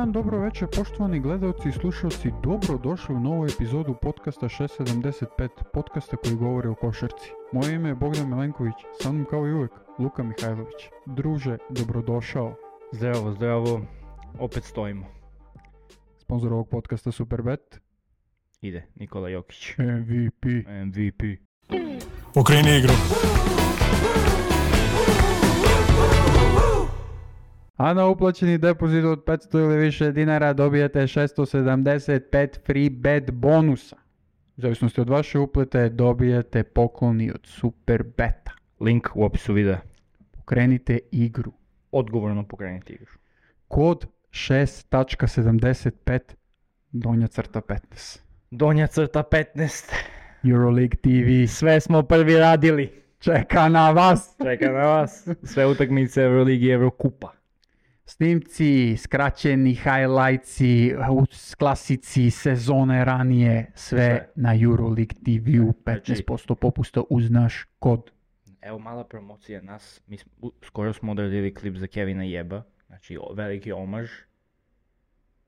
dan, dobro večer, poštovani gledalci i slušalci, dobro došli u novu epizodu podcasta 675, podcasta koji govori o košarci. Moje ime je Bogdan Milenković, sa mnom kao i uvijek Luka Mihajlović. Druže, dobrodošao. Zdravo, zdravo, opet stojimo. Sponzor ovog podcasta Superbet. Ide, Nikola Jokić. MVP. Okreni igru. A na uplaćeni depozit od 500 ili više dinara dobijete 675 free bet bonusa. U zavisnosti od vaše uplate dobijete pokloni od Superbeta. Link u opisu videa. Pokrenite igru. Odgovorno pokrenite igru. Kod 6.75 -15. Donja crta 15. Euroleague TV Sve smo prvi radili. čeka na vas. Čeka na vas. Sve utakmice Euroligi i Eurokupa. Snimci, skraćeni highlightsi, klasici sezone ranije, sve na Euroleague TV-u, 15% popusta uz naš kod. Evo mala promocija nas. Skoro smo odradili klip za Kevina Jeba. Znači veliki omaž.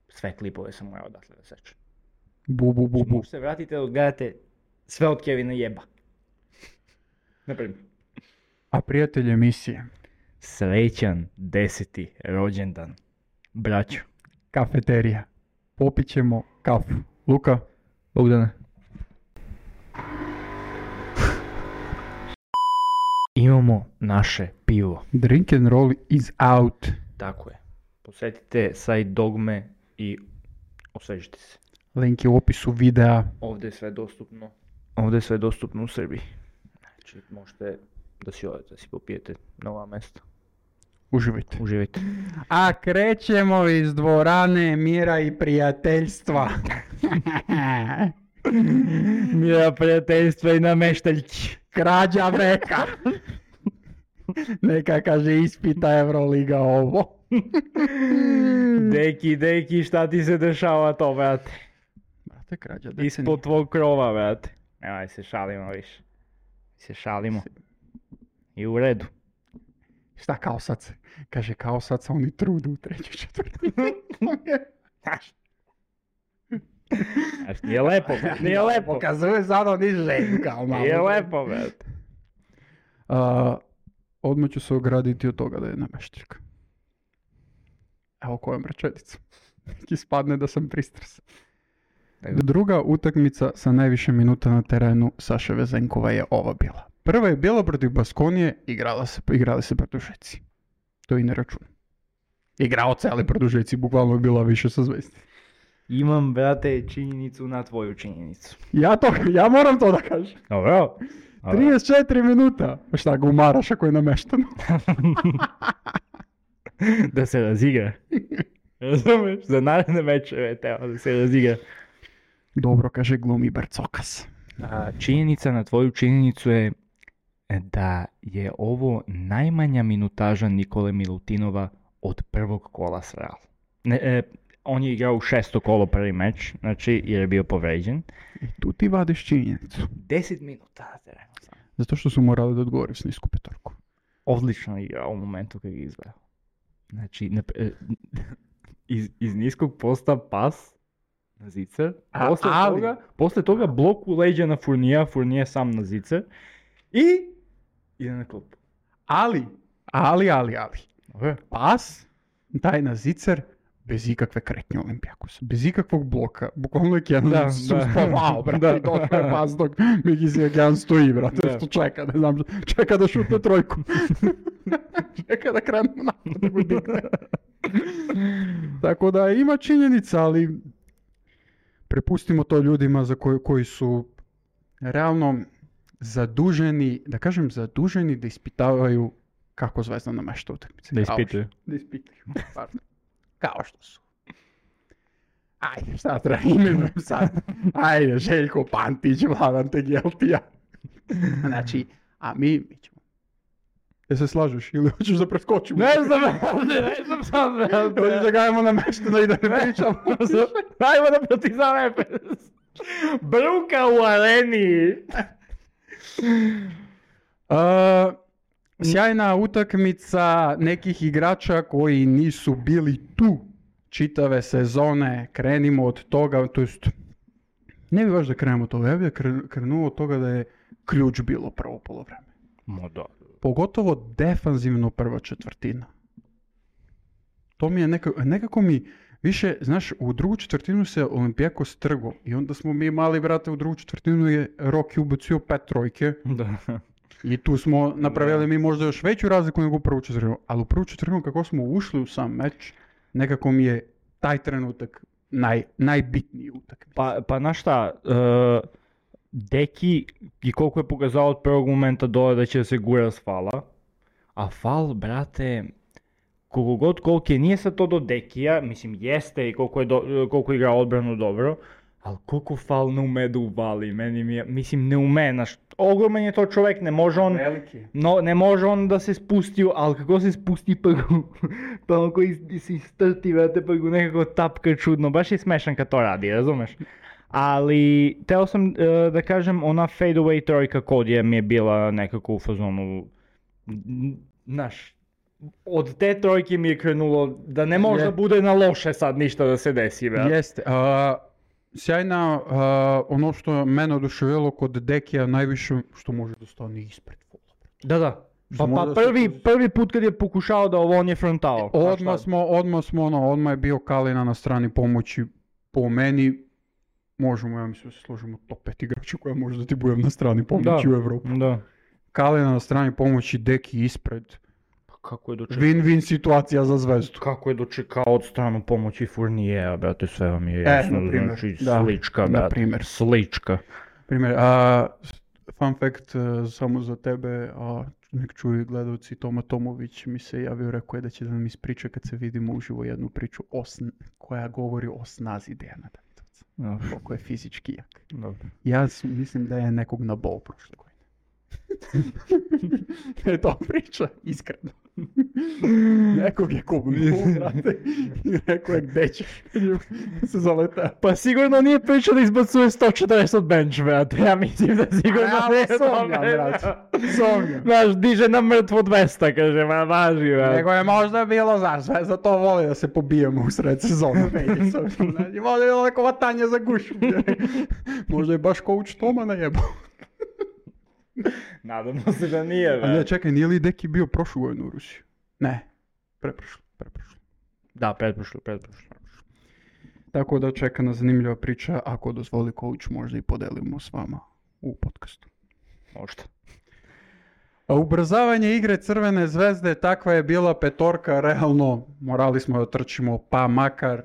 Sve klipove sam morao odatle da sečem. Bu. Možete se vratite da odgledate sve od Kevina Jeba. Naprimjer. A prijatelj emisije, Srećan 10. rođendan. Braćo. kafeterija. Popit ćemo kafu. Luka? Bogdane. Imamo naše pivo. Drink and roll is out. Tako je. Posjetite sajt Dogme i osvežite se. Link je u opisu videa. Ovdje je sve dostupno. Ovdje je sve dostupno u Srbiji. Znači možete da si odete, da si popijete nova mesta. Uživajte. Uživajte. A krećemo iz dvorane mira i prijateljstva. Mira, prijateljstva i nameštaljki. Krađa veka. Neka kaže ispita Euroliga ovo. Deki, šta ti se dešava to, brate? Brate, krađa decenija. Ispod tvog krova, brate. Nemoj se šalimo više. Se šalimo. I u redu. Šta kao sad se? Kaže kao sad se oni trudu u trećoj četvrti. Nije lepo, nije lepo. Pokazuje sad oni želju kao malo. Nije lepo, brate. Odmah ću se ograditi od toga da je nameštaljka. Evo kojom rečenicom. Ispadne da sam pristrasan. Druga utakmica sa najviše minuta na terenu Saše Vezenkova je ova bila. Prva je bila protiv Baskonije, igrali se produžeci. To i ne računam. Igrao celi produžeci, bukvalno je bila više sa Zvezdi. Imam, brate, činjenicu na tvoju činjenicu. Ja moram to da kažem. Dobro. 34 minuta. Pa šta ga umaraš ako je namešteno? Da se razigra. Razumeš? Za naredne mečeve treba da se razigra. Dobro, kaže glumi Barcokas. Činjenica na tvoju činjenicu je da je ovo najmanja minutaža Nikole Milutinova od prvog kola s Real. On je igrao u 6. kolo prvi meč, znači jer je bio povređen. I tu ti vadiš činjenicu. 10 minuta na terenu sam. Zato što su morali da odgovori s nisku petorku. Odlično igrao u momentu kad je izveo. Znači, iz niskog posta pas na zicer. Posle toga blok u leđa na Fournija sam na zicer. I ide na klupu. Ali. Okay. Pas, daj na zicer, bez ikakve kretnje Olimpijakosa. Bez ikakvog bloka. Bukvalno je Kenan spavao, brate. I došao je pas dok Mikisi Kenan stoji, brate. Što čeka, ne znam, čeka da šutne trojku. Čeka da krenemo napad. Tako da ima činjenica, ali prepustimo to ljudima za koji su realno zaduženi da ispitavaju kako Zvezda namešta utakmice. Da ispituju. Pardon. Kao što su. Ajde, šta treba imenujem sad? Ajde, Željko Pantić, Vladan Tegeltija. Znači, a mi ćemo. Se slažeš ili hoćeš da preskočimo? Ne znam sad. Hoćeš da gajemo namešteno i da ne pričamo? Ajmo da Partizan Efes. Bruka u areni. Sjajna utakmica nekih igrača koji nisu bili tu čitave sezone, krenimo od toga, to jest, ne bi baš da krenemo od toga, ja bi krenuo od toga da je ključ bilo prvo polovreme. Da. Pogotovo defanzivno prva četvrtina. To mi je nekako mi više, znaš, u drugu četvrtinu se Olimpijakos trgo i onda smo mi mali, brate, u drugu četvrtinu je Rocky ubacio 5 trojke. Da. I tu smo napravili mi možda još veću razliku nego u prvu četvrtinu. Ali u prvu četvrtinu kako smo ušli u sam meč, nekako mi je taj trenutak najbitniji utakmica. Pa znaš šta, Deki i koliko je pokazao od prvog momenta dole da će se gura s fala, a fal, brate, koliko je, nije sad to do Dekija, mislim jeste i koliko igra odbranu dobro, ali koliko fal ne ume da uvali, mislim ne ume, znaš, ogroman je to čovjek, ne može on, ne može on da se spusti, ali kako se spusti pa onako se istrti, vrate, pa go nekako tapka čudno, baš je smešan kad to radi, razumeš? Ali, teo sam da kažem, ona fadeaway trojka Kodija mi je bila nekako u fazonu, znaš, od te trojke mi je krenulo da ne može da bude na loše sad ništa da se desi, brate. Jeste, sjajna, ono što mene oduševilo kod Dekija najviše što može da stane ispred fola. Da. Pa prvi put kad je pokušao da on je frontao. Odmah je bio Kalina na strani pomoći. Po meni, možemo, ja mislim da se složimo top 5 igrača koja može da ti budem na strani pomoći u Evropu. Da. Kalina na strani pomoći, Deki ispred. Kako je dočekao? Win-win situacija za Zvezdu. Kako je dočekao od stranu pomoći Fourniera, brate, sve vam je jasno, znači slička, brate, slička. Primjer, fun fact samo za tebe, nek čuju gledalci, Toma Tomović mi se javio, rekao je da će da nam ispriča kad se vidimo uživo jednu priču koja govori o snazi Dejana Davidovca. Koliko je fizički jak. Dobro. Ja mislim da je nekog nabao prošle godine. Je to priča, iskreno. Nekog je kubnuo, brate, i rekao je gde ćeš, se zaleta. Pa sigurno nije priča da izbacuje 140 od bench, brate, ja mislim da sigurno nije sumnjam, brate, sumnjam. Znaš, diže na mrtvo 200, kaže, ma važi, brate. Nego je možda bilo, znaš, sve za to voli da se pobijemo u sred sezonu, znači, možda je bilo neko vatanje za gušu, možda je baš coach Toma najebao. Nadamo se da nije, a ne, čekaj, nije li Deki bio prošlu godinu u Rusiji? Ne, preprošlo. Da, pretprošlo. Tako da čeka nas zanimljiva priča, ako dozvoli coach možda i podelimo s vama u podcastu. Možda. A ubrzavanje igre Crvene zvezde, takva je bila petorka, realno morali smo da trčimo, pa makar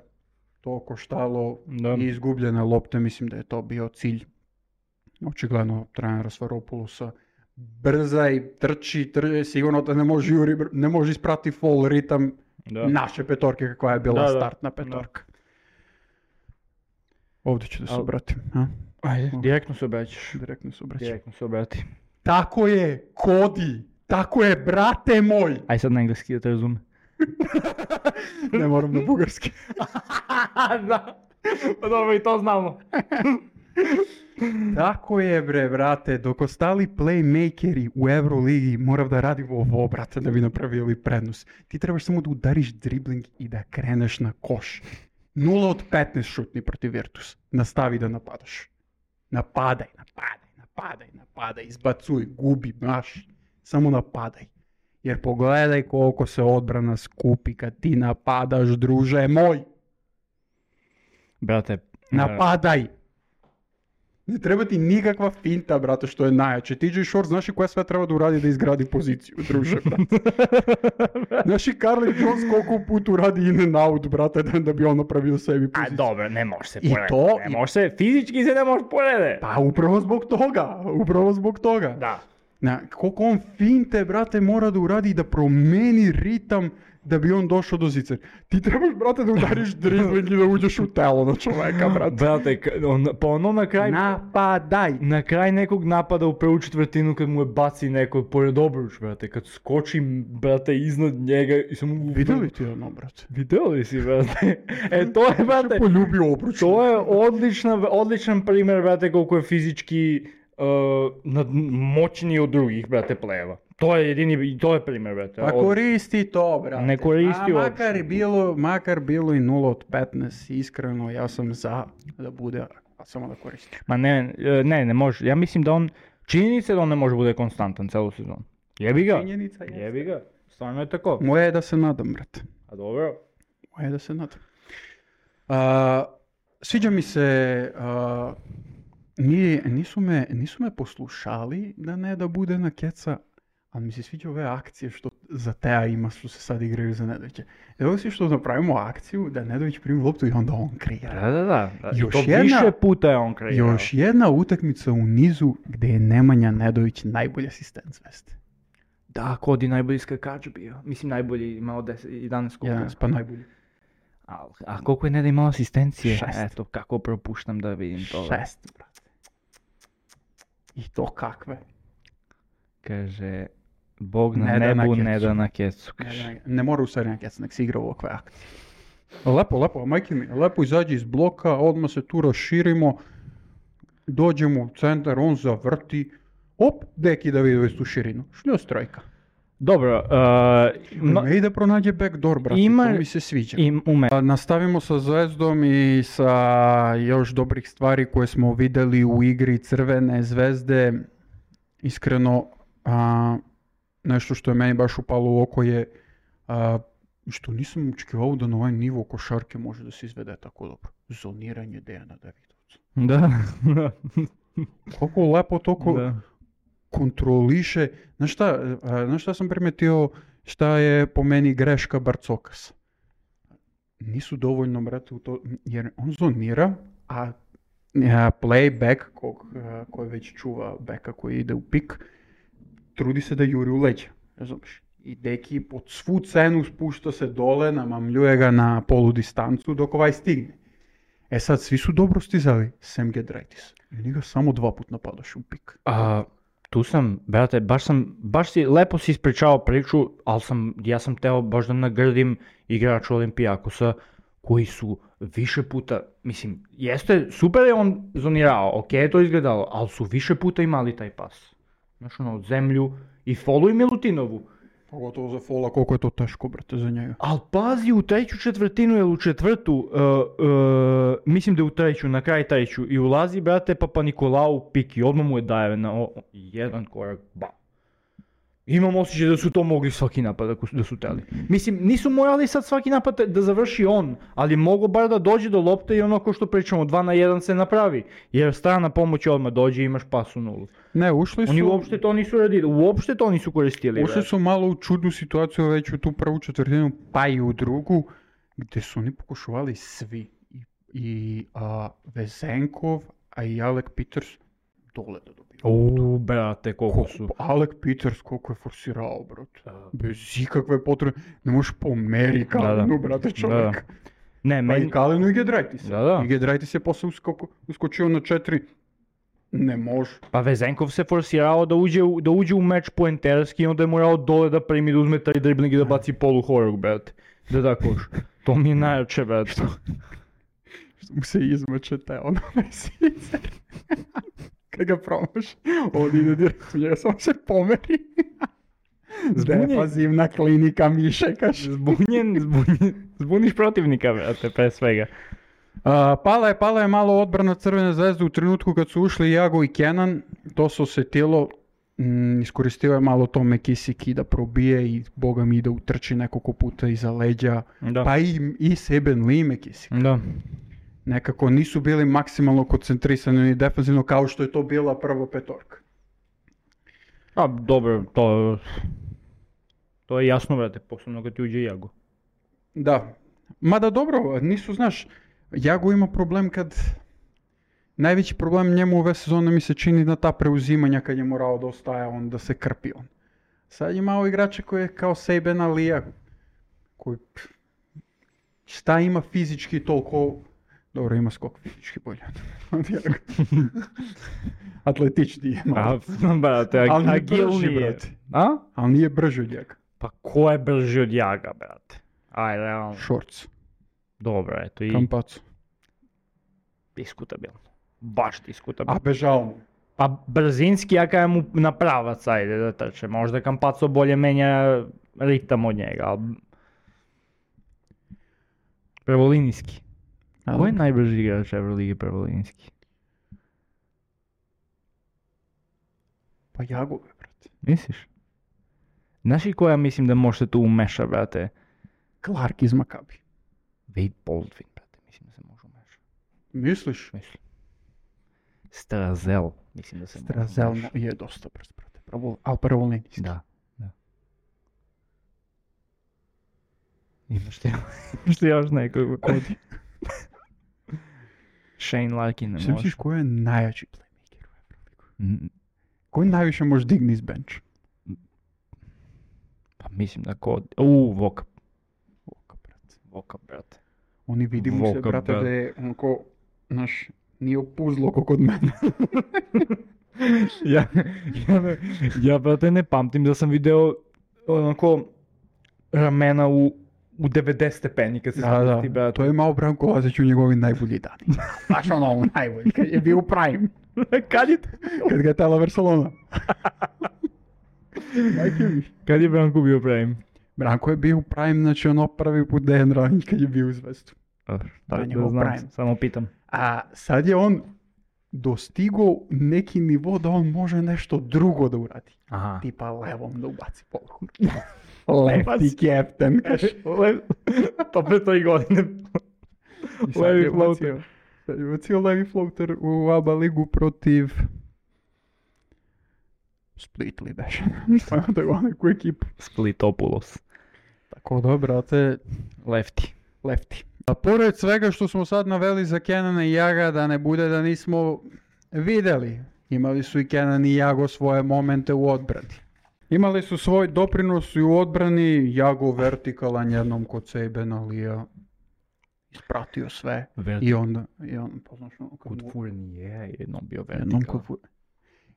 to koštalo i izgubljene lopte, mislim da je to bio cilj. Očigledno trenera Svaropoulosa brza i trči, sigurno da ne može isprati full ritam naše petorke kakva je bila startna petorka. Ovdje ću da se obratim. Ajde, direktno se obraćaš. Direktno se obrati. Tako je, Kodi, tako je, brate moj. Aj sad na engleski da te razume. Ne moram na bugarski. Da, pa dobro i to znamo. Tako je, bre, brate, dok ostali playmakeri u Euroligi morav da radimo ovo, brate, da bi napravili prednost. Ti trebaš samo da udariš dribling i da kreneš na koš. 0 od 15 šutni protiv Virtus. Nastavi da napadaš. Napadaj, izbacuj, gubi, maš. Samo napadaj. Jer pogledaj koliko se odbrana skupi kad ti napadaš, druže moj. Brate, napadaj. Ne treba ti nikakva finta, brate, što je najjače. TJ Short, znaš i koja sve treba da uradi da izgradi poziciju, druže, brate. Znaš i Carly Jones koliko put uradi in and out, brate, da bi on napravio sebi poziciju. A dobro, ne može se porediti. Fizički se ne može porediti. Pa upravo zbog toga. Da. Koliko on finte, brate, mora da uradi i da promeni ritam da bi on došao do zicer. Ti trebaš, brate, da udariš dribling i da uđeš u telo na čoveka, brate. Brate, pa ono na kraj... Napadaj! Na kraj nekog napada u prvu četvrtinu kad mu je baci neko pored obruč, brate, kad skoči, brate, iznad njega i samo... Vidjeli ti ono, brate? Vidjeli si, brate? To je, brate... Poljubio obruč. To je odličan primjer, brate, koliko je fizički moćniji od drugih, brate, plejeva. To je jedini, to je primjer, brate. Pa koristi to, brate. Ne koristi makar bilo i 0 od 15, iskreno, ja sam za da bude, samo da koristi. Ma ne može. Ja mislim da on, činjenica je da on ne može bude konstantan celu sezonu. Jebi ga. Činjenica jeste. Jebi ga. Stvarno je tako. Moje je da se nadam, brate. A dobro. Moje je da se nadam. Sviđa mi se, nisu me poslušali da ne da bude na keca, ali mi se sviđa ove akcije što za Teja ima što se sad igraju za Nedovića. Evo si što napravimo akciju da Nedović primi loptu i onda on kreira. Da. Više puta je on kreirao. Još jedna utakmica u nizu gdje je Nemanja Nedović najbolji asistent Zvezde. Da, Kodi najbolji skakač bio. Mislim najbolji, imao 11 skokova. 11, pa najbolji. A koliko je Neda imao asistencije? 6. Eto, kako propuštam da vidim to. 6, brate. I to kakve? Kaže, Bog na nebu, Neda na kecu. Ne mora u stvari na kecu, nek se igra u ovakve akcije. Lepo, majke mi, lepo izađe iz bloka, odmah se tu raširimo, dođemo u centar, on zavrti, op, Deki Davidović tu širinu, šljos trojka. Dobro. Ne ide pronađe backdoor, brate, to mi se sviđa. Nastavimo sa Zvezdom i sa još dobrih stvari koje smo vidjeli u igri Crvene Zvezde. Iskreno, nešto što je meni baš upalo u oko je što nisam očekivao da na ovaj nivo košarke može da se izvede tako dobro. Zoniranje Dejana Davidovca. Da. Koliko lepo toliko kontroliše. Znaš šta sam primetio, šta je po meni greška Barcokasa? Nisu dovoljno, brate, u to, jer on zonira, a playback, koji već čuva beka koji ide u pik, trudi se da juri u leđa, razumiješ? I Deki pod svu cenu spušta se dole, namamljuje ga na polu distancu dok ovaj stigne. E sad, svi su dobro stizali, sem Giedraitis. I njega samo 2 put napadaš u pik. Tu sam, brate, baš si, lepo si ispričao priču, ali ja sam teo baš da nagrdim igrača Olimpijakosa koji su više puta, mislim, jeste, super je on zonirao, ok je to izgledalo, ali su više puta imali taj pas. Znaš od zemlju i foluj Milutinovu. Pogotovo za fola, koliko je to teško, brate, za njega. Ali pazi, u treću četvrtinu ili u četvrtu, mislim da je u treću, na kraj treću, i ulazi, brate, Papa Nikolau u pik i odmah mu je daje na jedan korak, Imam osjećaj da su to mogli svaki napad da su teli. Mislim, nisu morali sad svaki napad da završi on, ali mogu bar da dođe do lopte i ono ko što pričamo, 2 na 1 se napravi. Jer strana pomoć odmah dođe i imaš pas u nulu. Ne, ušli su... Oni uopšte to nisu radili, uopšte to nisu koristili. Ušli su malo u čudnu situaciju već u tu prvu četvrtinu, pa i u drugu, gdje su oni pokušavali svi. I Vezenkov, a i Alec Peters dole da dobiju. Brate, koliko su... Alec Peters koliko je forsirao, brate. Bez ikakve potrebe. Ne možeš pomeri Kalinu, brate, čovjek. Pa i Kalinu i Giedraitis. I Giedraitis je posle uskočio na 4. Ne može. Pa Vezenkov se forsirao da uđe u meč poenterski i onda je morao dole da primi, da uzme taj dribling i da baci polu horog, brate. Da koš. To mi je najjače, brate. Što mu se izmače te ono mesice. Kad ga promaš, on ide direktno njega, samo se pomeri. Defazivna klinika mišekaš. Zbuniš protivnika, brate, pre svega. Pala je malo odbrana Crvene Zvezde u trenutku kad su ušli Jago i Kenan. To se osjetilo, iskoristio je malo to McKissick da probije i boga mi da utrči nekoliko puta iza leđa. Da. Pa i Seben Lee McKissick. Da. Nekako nisu bili maksimalno koncentrisani ni defensivno kao što je to bila prva petorka. Dobro, to je jasno, brate, posebno kad ti uđe Jago. Da, mada dobro, nisu, znaš, Jago ima problem kad... Najveći problem njemu ove sezone mi se čini na ta preuzimanja kad je morao da ostaje on, da se krpi on. Sad je malo igrača koji je kao Sejben Alija, koji... Šta ima fizički toliko... Dobro, ima skok fizički bolje od Jaga. Atletični je malo. Ali nije brži, brate. Ali nije brži od Jaga. Pa ko je brži od Jaga, brate? Ajde, realno. Shorts. Dobro, eto i... Kampacu. Diskutabilno. Baš diskutabilno. A bežao mu. A brzinski, ja kajem mu na pravac, ajde da trče. Možda Campazzo bolje menja ritam od njega, ali... Pravolinijski. Ko je najbrži igrač Euroligi pravolinijski? Pa Jagove, brate. Misliš? Znaš i koja mislim da može se tu umeša, brate? Clark iz Makabi. Wade Baldwin, brate, mislim da se može umešati. Misliš? Mislim. Strazel, mislim da se može Strazel umešati. je dosta brz, brate. Ali pravolinijski. Da. Imaš ti još nekog? Kodi. Shane Larkin ne Sve može. misliš ko je najjači playmaker u Euroligu? Koji najviše može digni iz bench? Pa mislim da Voka. Voka, brate. Oni vidi mu se, Voka, brate, brate. da je onako, znaš, nije opuzlo ko kod mene. Ja, brate, ne pamtim da sam video onako ramena u 90 stepeni kad se spusti, brate. To je imao Branko Lazić u njegovi najbolji dani. Baš ono najbolji, kad je bio u prime. Kad je to? Kad ga je tela Barcelona. Kad je Branko bio prime? Branko je bio u prime, znači ono prvi put Dejan Ranjić kad je bio u Zvezdu. Da njegov znam, prime. samo pitam. A sad je on dostigao neki nivo da on može nešto drugo da uradi. Aha. Tipa levom da ubaci poluku. Lefty captain, kaže. To pre 3 godine. Levi floater. Sad je ubacio levi floater u ABA ligu protiv Split li beše. Šta tako neku ekipu. Splitopulos. Tako da, brate, lefty. A pored svega što smo sad naveli za Kenana i Jaga, da ne bude da nismo vidjeli, imali su i Kenan i Jago svoje momente u odbrani. Imali su svoj doprinos i u odbrani, Jago vertikalan jednom kod sebe na Lija, ispratio sve i on poznaš ono Kod Fournier jednom bio jednom vertikal. kod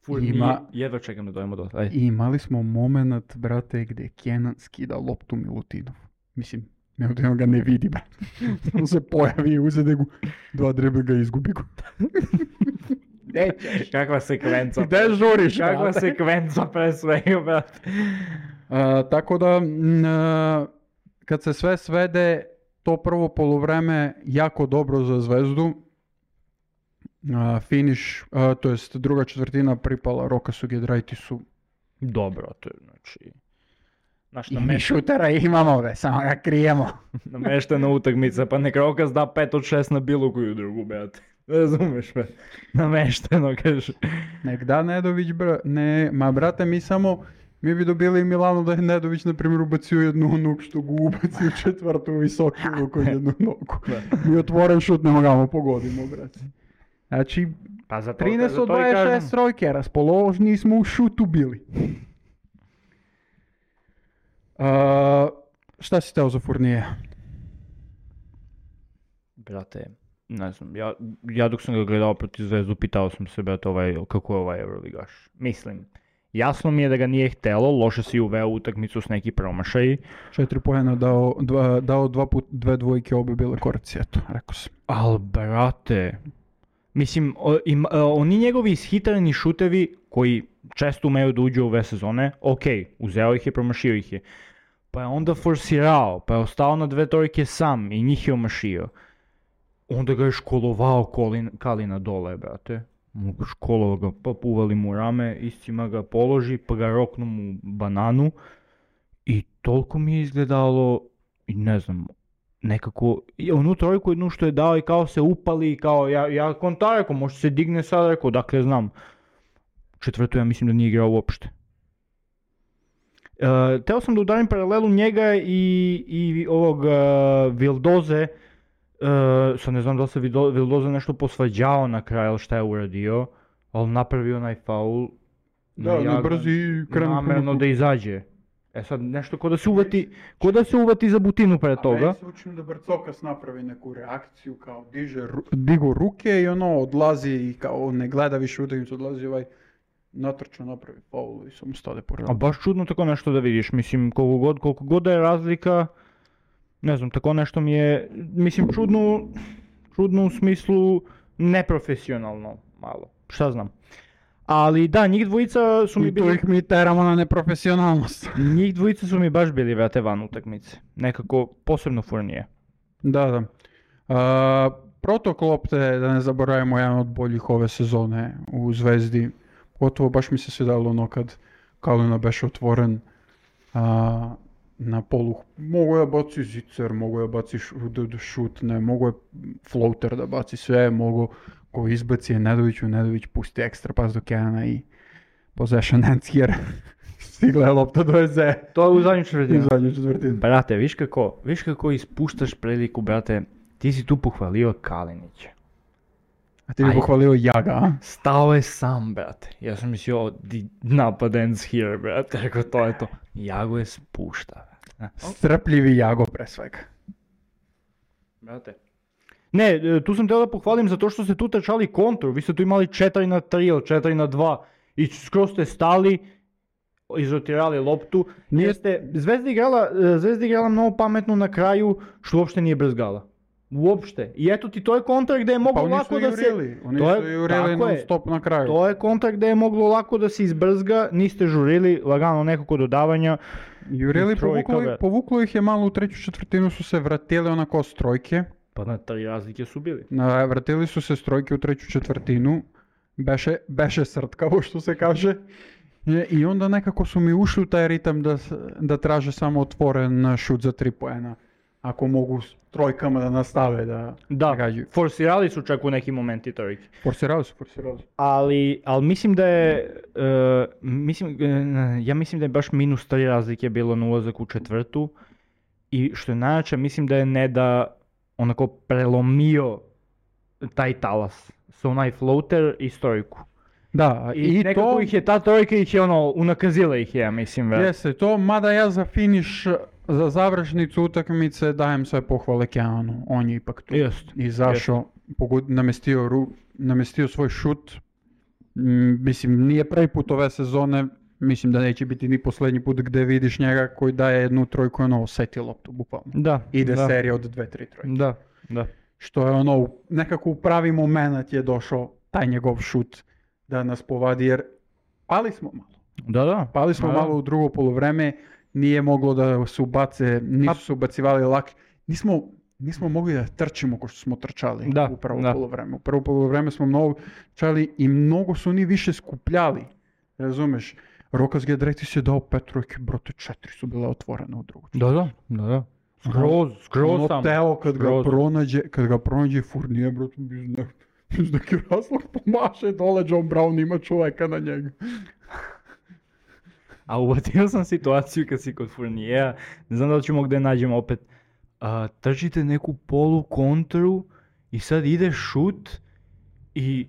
Fournier, jedva čekam da dojemo do... imali smo moment, brate, gdje Kenan skida loptu Milutinov. Mislim, Milutinov ga ne vidi, brate. On se pojavi i uzede gu, 2 driblinga i izgubi go. Kakva sekvenca. Gde žuriš, Kakva brate? sekvenca pre svega, brate. Tako da, kad se sve svede, to prvo poluvreme jako dobro za Zvezdu. Finish, to jest druga četvrtina pripala Rokasu Giedraitisu. Dobro, to je, znači... Naš I mi šutera imamo, be, samo ga krijemo. nameštena utakmica, pa nek Rokas da 5 od 6 na bilo koju drugu, brate. Razumeš me? Namešteno, kaže. Nek da Nedović, brate, mi bi dobili Milano da je Nedović, na primjer, ubacio jednu nogu što gu ubacio četvrtu visoku kod jednu nogu. Mi otvoren šut ne mogamo pogodimo, brate. Znači, Pa za to, 13 od 26 trojke, raspoložni smo u šutu bili. Šta si teo za Fournier? Brate, ne znam, ja dok sam ga gledao protiv Zvezdu, pitao sam se, brate, kako je ovaj Euroligaš. Mislim, jasno mi je da ga nije htelo, loše si uveo utakmicu s neki promašaj. 4 poena dao 2 put 2 dvojke, obe bile koraci, eto, rekao sam. Al, brate, mislim, oni njegovi ishitreni šutevi koji često umeju da uđu u ove sezone, uzeo ih je, promašio ih je. Pa je onda forsirao, pa je ostao na 2 trojke sam i njih je omašio. Onda ga je školovao Kalina dole, brate. Školovao ga, pa uvali mu rame, iscima ga položi, pa ga roknu mu bananu. I toliko mi je izgledalo, ne znam, nekako, onu trojku jednu što je dao i kao se upali, i kao, ja konta rekao, možda se digne sad, rekao, dakle znam. Četvrtu ja mislim da nije igrao uopšte. Teo sam da udarim paralelu njega i ovog Vildoze, sad ne znam da li se Vildoze nešto posvađao na kraju, ali šta je uradio, ali napravio onaj faul. Da, ne brzi krenu. Namerno da izađe. Sad nešto ko da se uvati za butinu pre toga. A meni se učinu da Brcokas napravi neku reakciju, kao digo ruke i ono odlazi i kao ne gleda više utakmicu, odlazi natrčao, napravi faul i samo stade pored. A baš čudno tako nešto da vidiš, mislim koliko god da je razlika, ne znam, tako nešto mi je, mislim čudno u smislu neprofesionalno malo, šta znam. Ali da, njih dvojica su mi I tu bili... ih mi teramo na neprofesionalnost. Njih dvojica su mi baš bili, brate, van utakmice. Nekako, posebno Fournier. Da. Protok lopte, da ne zaboravimo, jedan od boljih ove sezone u Zvezdi. Gotovo baš mi se svidalo ono kad Kalina beše otvoren na polu. Mogu je baci zicer, mogu je baci šutne, mogu je floater da baci sve, mogu ko izbaci je Nedović pusti ekstra pas do Kenana i possession ends here. Stigla je lopta do Eze. To je u zadnju četvrtinu. U Brate, viš kako ispuštaš priliku, brate, ti si tu pohvalio Kalinića. A ti bi pohvalio Jaga, a? Stao je sam, brate. Ja sam mislio, napad ends here, brate. Rekao, to je to. Jago je spušta, brate. Strpljivi Jago pre svega. Brate. Ne, tu sam teo da pohvalim zato što ste tu trčali kontru. Vi ste tu imali 4-3 ili 4-2 i skroz ste stali, izrotirali loptu. Zvezda igrala mnogo pametno na kraju, što uopšte nije brzgala. Uopšte. I eto ti, to je kontra gdje je moglo lako da se... Oni su jurili non stop na kraju. To je kontra gdje je moglo lako da se izbrzga, niste žurili, lagano nekako dodavanja. Jurili, povuklo ih je malo u treću četvrtinu, su se vratili onako s trojke. Pa na 3 razlike su bili. Vratili su se s trojke u treću četvrtinu. Beše srtkavo, što se kaže. I onda nekako su mi ušli u taj ritam da traže samo otvoren šut za 3 poena. Ako mogu s trojkama da nastave da gađaju. Forsirali su čak u nekim momenti trojke. Forsirali su. Ali mislim da je, ja mislim da je baš minus 3 razlike bilo na ulazak u četvrtu. I što je najjače, mislim da je Neda onako prelomio taj talas. Sa onaj floater i trojku. Da, i nekako to... ih je ta trojka unakazila ih je, ja mislim. Jeste, to, mada ja za finiš, za završnicu utakmice dajem sve pohvale Kenanu. On je ipak tu izašao, namestio svoj šut. Mislim, nije prvi put ove sezone, mislim da neće biti ni posljednji put gdje vidiš njega koji daje jednu trojku i osjeti loptu, bukvalno. Da. Ide serija od 2-3 trojke. Da. Što je nekako u pravi moment je došao taj njegov šut da nas povadi, jer pali smo malo. Pali smo malo u drugo poluvreme, nije moglo da se ubace, nisu se ubacivali lak. Nismo mogli da trčimo ko što smo trčali u prvo poluvreme. U prvo poluvreme smo mnogo trčali i mnogo su oni više skupljali. Razumeš? Rokas Gedreti se dao 5 trojke, brote 4 su bile otvorene u drugu. Da. Skroz sam. Teo kad ga pronađe Fournier, brote, iz neki razlog pomaše dole, John Brown ima čoveka na njega. A uvatio sam situaciju kad si kod Fourniera, ne znam da li ćemo gdje nađem opet, trčite neku polu kontru i sad ide šut i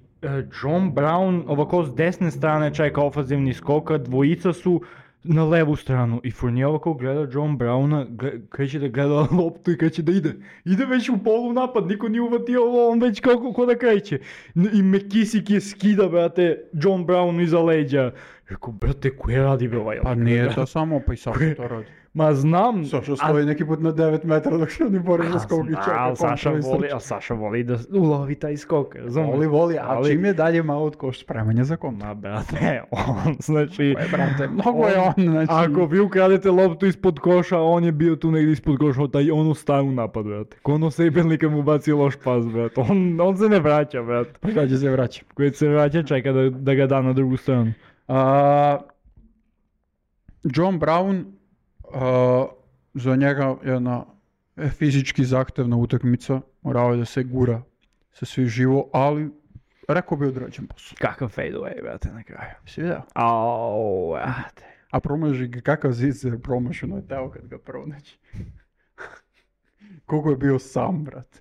John Brown ovako s desne strane čeka ofanzivni skoka, dvojica su na levu stranu i Fournier ovako gleda John Browna, kreće da gleda loptu i kreće da ide. Ide već u polu napad, niko nije uvatio ovo, on već kako da kreće. I McKissick je skida, brate, John Brown iza leđa. Rekao, brate, koje radi be ovaj? Pa nije to samo, pa i Saša to radi. Ma znam. Saša stoji neki put na 9 metara dok se oni bori za skok i čeka. Saša voli da ulovi taj skok, razumiješ? Voli, a čim je dalje malo od koš spremanja za kontru. Ma brate, on, znači... Mnogo je on, znači... Ako vi ukradete loptu ispod koša, on je bio tu negdje ispod koša, on ustaje u napad, brate. Ko ono Sejbelnika mu baci loš pas, brate. On se ne vraća, brate. Kada će se vraća? Kada se vraća, čeka da ga da na drugu stranu. John Brown, za njega jedna fizički zahtevna utakmica, morao je da se gura sa svi živo, ali rekao bi odrađen posao. Kakav fadeaway, brate, na kraju. Si vidio? Brate. A promaži ga, kakav zicer promašeno je teo kad ga pronaći. Koliko je bio sam, brate.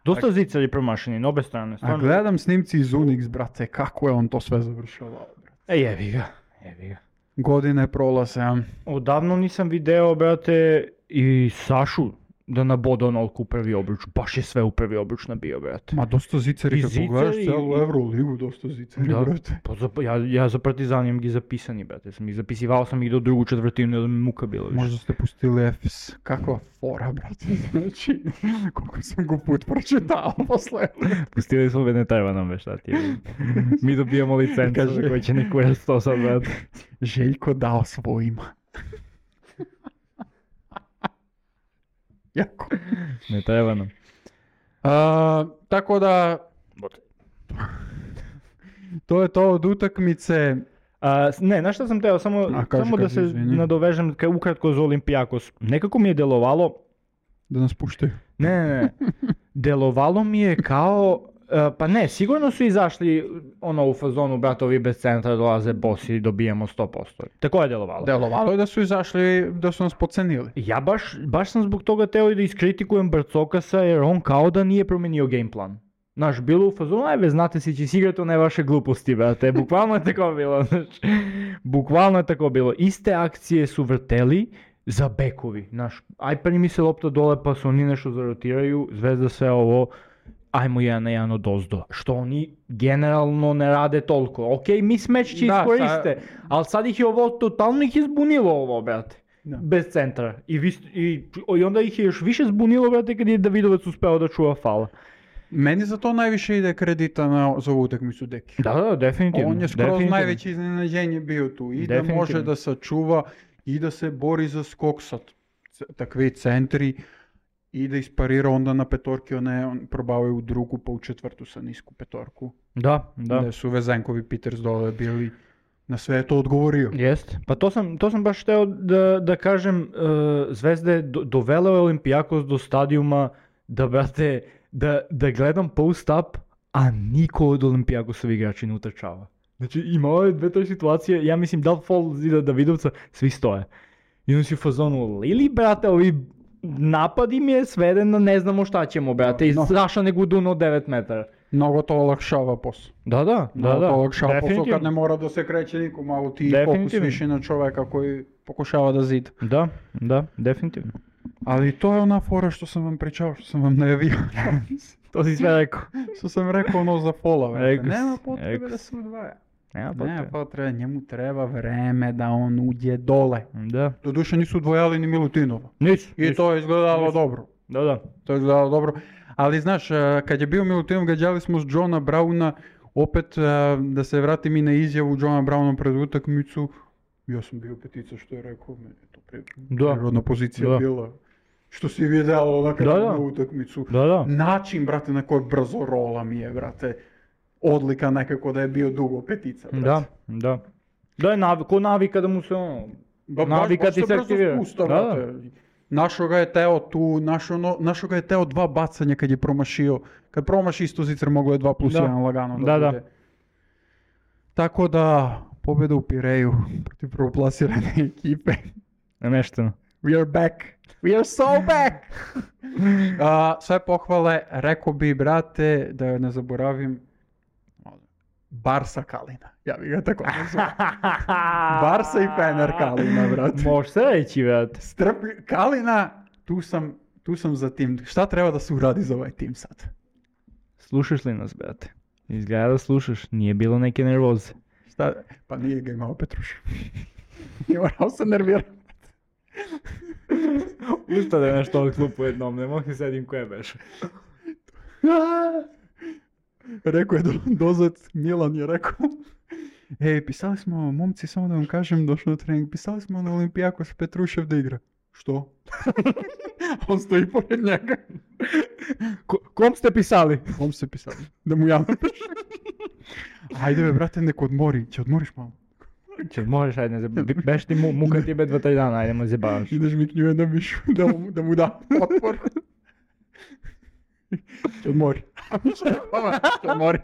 Dosta zicari promašeni, na obe strane. A gledam snimci iz Unix, brate, kako je on to sve završavao, brate. Jebi ga. Godine prolaze. Odavno nisam video, brate, i Sašu da naboda onoliko u prvi obruč. Baš je sve u prvi obruč nabio, brate. Ma dosta ziceri, I kad ziceri pogledaš i- celu Euroligu, dosta ziceri, Da. brate. Pa ja za Partizan imam gi zapisani, brate. Sam ih zapisivao sam ih do drugu četvrtinu, da mi muka bilo više. Možda ste pustili Efes. Kakva fora, brate. Znači, koliko sam go put pročitao posle. Pustili smo ne treba nam već, šta ti je. Mi dobijamo licencu Kaže- za koji će neko jest to sad, brate. Željko dao svojima. Jako. Ne treba nam. Tako da, to je to od utakmice. Ne, znaš šta sam teo, samo kaži, da se izvini. nadovežem ukratko za Olimpijakos. Nekako mi je delovalo, Da nas puštaju. ne, delovalo mi je kao, pa ne, sigurno su izašli u fazonu, brate, ovi bez centra dolaze bosi i dobijemo 100%. Tako je delovalo. Delovalo je da su izašli, da su nas pocenili. Ja baš sam zbog toga teo i da iskritikujem Barcokasa jer on kao da nije promenio game plan. Znaš, bilo u fazonu, ajde, znate si će igrati one vaše gluposti, brate, bukvalno je tako bilo, znači, bukvalno je tako bilo. Iste akcije su vrteli za bekovi, znaš, aj primi se lopta dole pa su oni nešto zarotiraju, Zvezda sve ovo, ajmo 1-1 od ozdo, što oni generalno ne rade toliko. Ok, mismatch će Da, iskoriste, ali sad ih je ovo totalno ih je zbunilo ovo, brate. Da. Bez centra. I onda ih je još više zbunilo, brate, kad je Davidovac uspeo da čuva faul. Meni za to najviše ide kredita za ovu utakmicu Deki. Da, definitivno. On je skroz najveće iznenađenje bio tu. I da Definitivno. može da sačuva i da se bori za skok sa takvi centri i da isparira onda na petorki, on probavaju u drugu pa u četvrtu sa nisku petorku. Da. Da su Vezenkovi Peters dole bili, na sve je to odgovorio. Jest. Pa to sam baš hteo da kažem, Zvezda je dovela Olimpijakos do stadijuma da, brate, da gledam post-up, a niko od Olimpijakosov igrači ne utrčava. Znači imao je dve toj situacije, ja mislim da li fall zida Davidovca, svi stoje. I on si u fazonu, Lili, brate, ovi napad im je sveden na ne znamo šta ćemo, brate, i Saša ne guduno od 9 metara. Mnogo to olakšava posao. Da. Mnogo to olakšava posao definitivno. kad ne mora da se kreće niko, malo ti fokus Definitivno. više na čoveka koji pokušava da zida. Da, definitivno. Ali to je ona fora što sam vam pričao, što sam vam najavio. To si sve rekao. Što sam rekao ono za fola. Rekao si, Nema potrebe rekao da si. se udvaja. Nema Nema potrebe. potrebe, njemu treba vreme da on uđe dole. Da. Doduše nisu udvojali ni Milutinova. Nisu. I to je izgledalo dobro. Da. To je izgledalo dobro. Ali znaš, kad je bio Milutinov, gađali smo s Johna Browna, opet da se vratim i na izjavu Johna Browna pred utakmicu. Ja sam bio petica što je rekao, meni je to prirodna pozicija bila. Što si vidjelo na kraju na utakmicu. Da. Način, brate, na koji brzo rola mi je, brate. Odlika nekako da je bio dugo petica, brate. Da. Da je ko navika da mu se navika ti se aktivira. Da. Našo ga je teo tu, našo ga je teo dva bacanja kad je promašio. Kad promaši isto Zicer moglo je 2+1 lagano da bude. Tako da, pobjeda u Pireju protiv prvoplasirane ekipe. Nemešteno. We are back. We are so back! Sve pohvale, rekao bi, brate, da ne zaboravim, Barsa Kalina. Ja bih ga tako nazvao. Barsa i Fener Kalina, brate. Može se reći, brate. Kalina, tu sam za tim. Šta treba da se uradi za ovaj tim sad? Slušaš li nas, brate? Izgleda da slušaš, nije bilo neke nervoze. Šta? Pa nije ga imao Petruš. I morao se nervirati. Ustade nešto od klupu jednom, ne mogu sedim koje beše. Rekao je dozet, Milan je rekao. Pisali smo, momci, samo da vam kažem, došao na trening, pisali smo na Olimpijakos Petrušev da igra. Što? On stoji pored njega. Kom ste pisali? Kom ste pisali? Da mu ja napiš. Ajde be, brate, neko odmori. Će odmoriš malo? Možeš, ajde, beš ti muka ti be 2-3 dana, ajde mu zjebavaš. Ideš mi k njuje da mišu, da mu da otpor. Će odmori. Će odmori.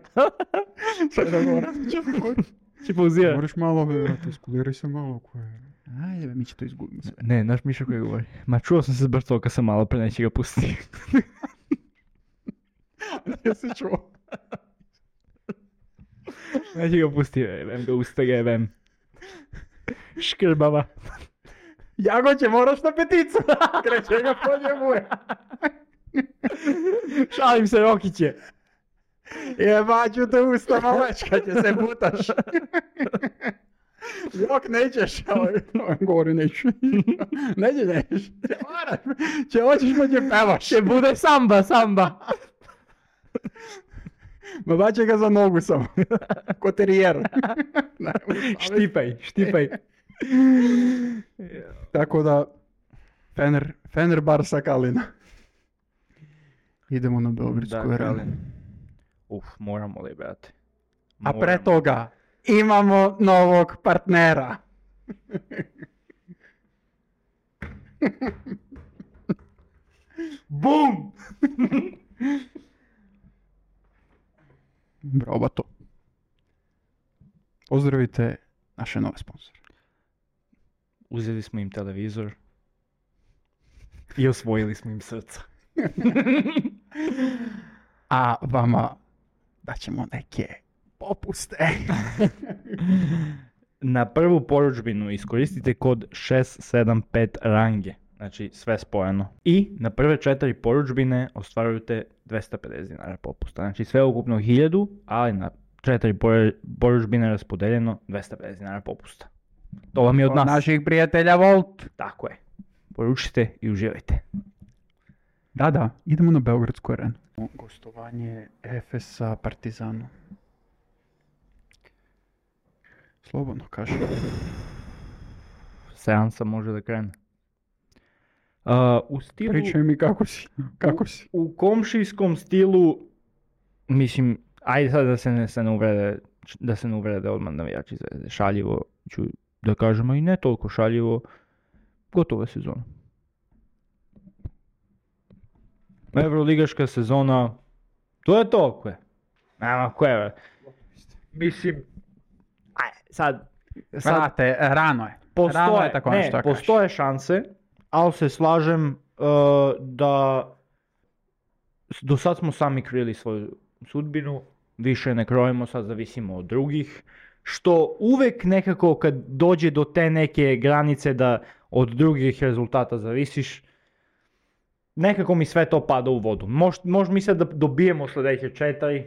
Sve da mora. Će odmori. Će pauzirati. Moraš malo, brate, iskuliraj se malo. Ajde be, mi će to izgubiti sve. Ne, naš Miša koji govori. Ma čuo sam se s Barcokasa malo, pre neće ga pustiti. Ja se čuo. Neće ga pustiti, vem ga usta ga jebem. Škrbava. Jagoće, moraš na peticu. Kreće ga po njemu. Šalim se, Rokiće. Jebaću te usta, malečka, će se butaš. Jok, nećeš. Govori, neću. Nećeš. Če hoćeš pa će pevaš. Će bude samba. Ma baće ga za nogu samo. Ko terijer. Štipaj. Tako da, Fener Barsa Kalina. Idemo na Beogradsku arenu. Moramo li, brate? A pre toga, imamo novog partnera. Bum! Bravo, bato. Pozdravite naše nove sponsore. Uzeli smo im televizor i osvojili smo im srca. A vama daćemo neke popuste. Na prvu poručbinu iskoristite kod 675 range, znači sve spojeno. I na prve 4 poručbine ostvarujete 250 dinara popusta. Znači sve ukupno 1000, ali na 4 poručbine raspodeljeno 250 dinara popusta. To vam je od nas. Naših prijatelja Volt. Tako je. Poručite i uživajte. Da, idemo na Beogradsku arenu. Gostovanje Efesa Partizanu. Slobodno kaži. Seansa može da krene. U stilu... Pričaj mi kako si. U komšijskom stilu, mislim, ajde sad da se ne uvrede odmah navijači Zvezde. Šaljivo ću da kažemo i ne toliko šaljivo. Gotova sezona. Evroligaška sezona, to je to, kve. Nema koje. Mislim, sad... Vrate, rano je. Rano je tako nešto. Postoje šanse, ali se slažem da do sad smo sami krili svoju sudbinu, više ne krojimo, sad zavisimo od drugih, što uvek nekako kad dođe do te neke granice da od drugih rezultata zavisiš, nekako mi sve to pada u vodu. Može mi se da dobijemo sljedeće 4,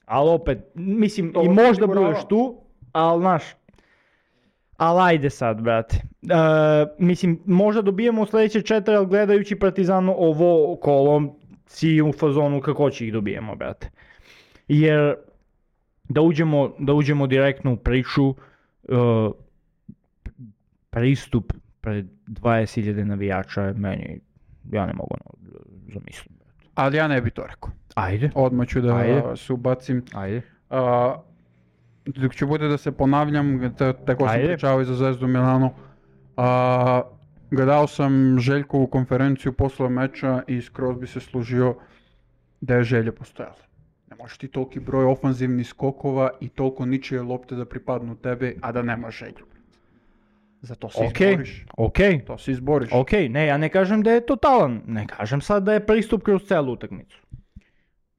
ali opet, mislim, to i možda budeš tu, ali znaš, ali ajde sad, brate. Mislim, možda dobijemo sljedeće 4, ali gledajući Partizanu ovo kolo, si u fazonu kako će ih dobijemo, brate. Jer da uđemo direktno u priču, pristup pred 20.000 navijača je meni, ja ne mogu zamislim. Ali ja ne bi to rekao. Ajde. Odmah ću da se ubacim. Ajde. Dok ću bude da se ponavljam, tako sam pričao i za Zvezdu Milano. Gledao sam Željkovu konferenciju posle meča i skroz bi se služio da je želja postojala. Ne možeš ti toliki broj ofanzivnih skokova i toliko ničije lopte da pripadnu tebi, a da nema želju. Zato se izboriš. To se izboriš. Ne, ja ne kažem da je totalan, ne kažem sad da je pristup kroz celu utakmicu.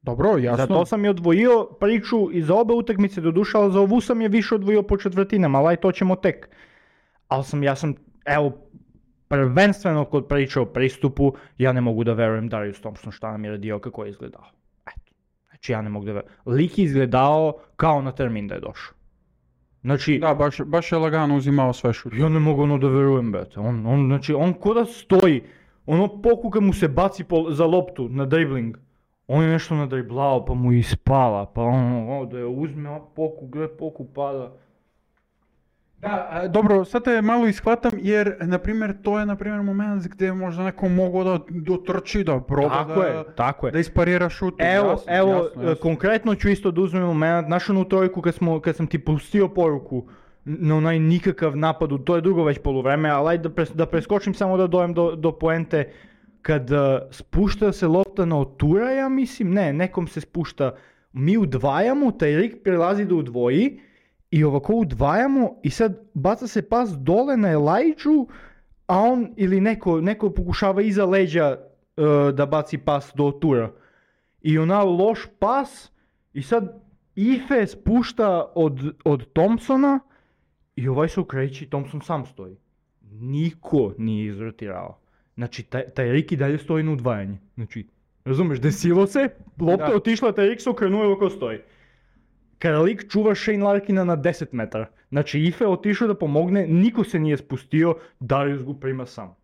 Dobro, jasno. Zato sam je odvojio priču i za obe utakmice doduše, ali za ovu sam je više odvojio po četvrtinama, ali to ćemo tek. Ali ja sam, prvenstveno kod priče o pristupu, ja ne mogu da verujem Darius Thompson šta nam je radio, kako je izgledao. Eto, znači ja ne mogu da verujem. Lik je izgledao kao na termin da je došao. Znači, da, baš je lagano uzimao sve šut. Ja ne mogu da verujem, brate. On ko da stoji, poku kad mu se baci za loptu na dribling, on je nešto nadriblao pa mu ispala, pa da je uzme, poku pada. Da, dobro, sad te malo ishvatam jer, na primjer, to je, na primjer, moment gdje možda neko mogu da dotrči, da proba da isparira šut. Evo, konkretno ću isto da uzmem moment, našu onu trojku kad sam ti pustio poruku na onaj nikakav napad, to je drugo već poluvreme, ali ajde da preskočim samo da dojem do poente, kad spušta se lopta na Otura, ja mislim, nekom se spušta, mi udvajamo, taj lik prelazi da udvoji, i ovako udvajamo i sad baca se pas dole na Elijah, a on ili neko pokušava iza leđa da baci pas do Otura. I ona loš pas i sad Ife spušta od Thompsona i ovaj se okreći, Thompson sam stoji. Niko nije izrotirao. Znači, taj Rik i dalje stoji na udvajanje. Znači, razumeš, desilo se, lopta je otišla, taj Rik se okrenuo i ovako stoji. Karalik čuva Shane Larkina na 10 metara. Znači, Ife je otišao da pomogne, niko se nije spustio, Darius go prima sam.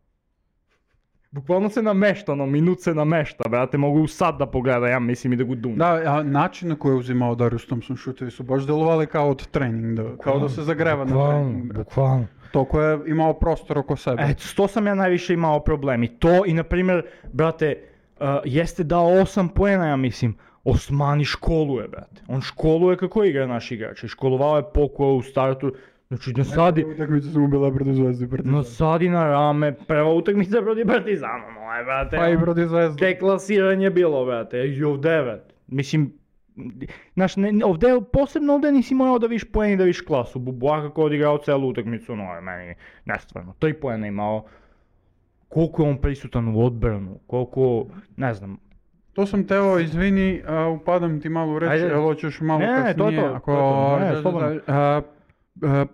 Bukvalno se namešta, minut se namešta, brate, mogu sad da pogleda, ja mislim i da go dum. Da, a način na koji je uzimao Darius Thompson šutevi su baš delovali kao od trening, kao da se zagreva na trening. Bukvalno. Toliko je imao prostor oko sebe. To sam ja najviše imao problem. I to, i na primjer, brate, jeste dao 8 poena, ja mislim. Osmani školuje, brate. On školuje kako igra naš igrač. Školovao je Pokuo u startu. Znači, nasadi... Utakmice su mu bila protiv Zvezde i Partizana. Nasadi na rame, prva utakmica protiv Partizana, brate. Pa i protiv Zvezde. Deklasiranje bilo, brate. I ovdje, brate. Mislim, znaš, posebno ovdje nisi morao da viš poen i da viš klasu. Buboa kako odigrao celu utakmicu, meni nestvarno. 3 poena imao. Koliko je on prisutan u odbranu, koliko, ne znam. To sam teo, izvini, upadam ti malo u reći, ali hoćeš malo kasnije.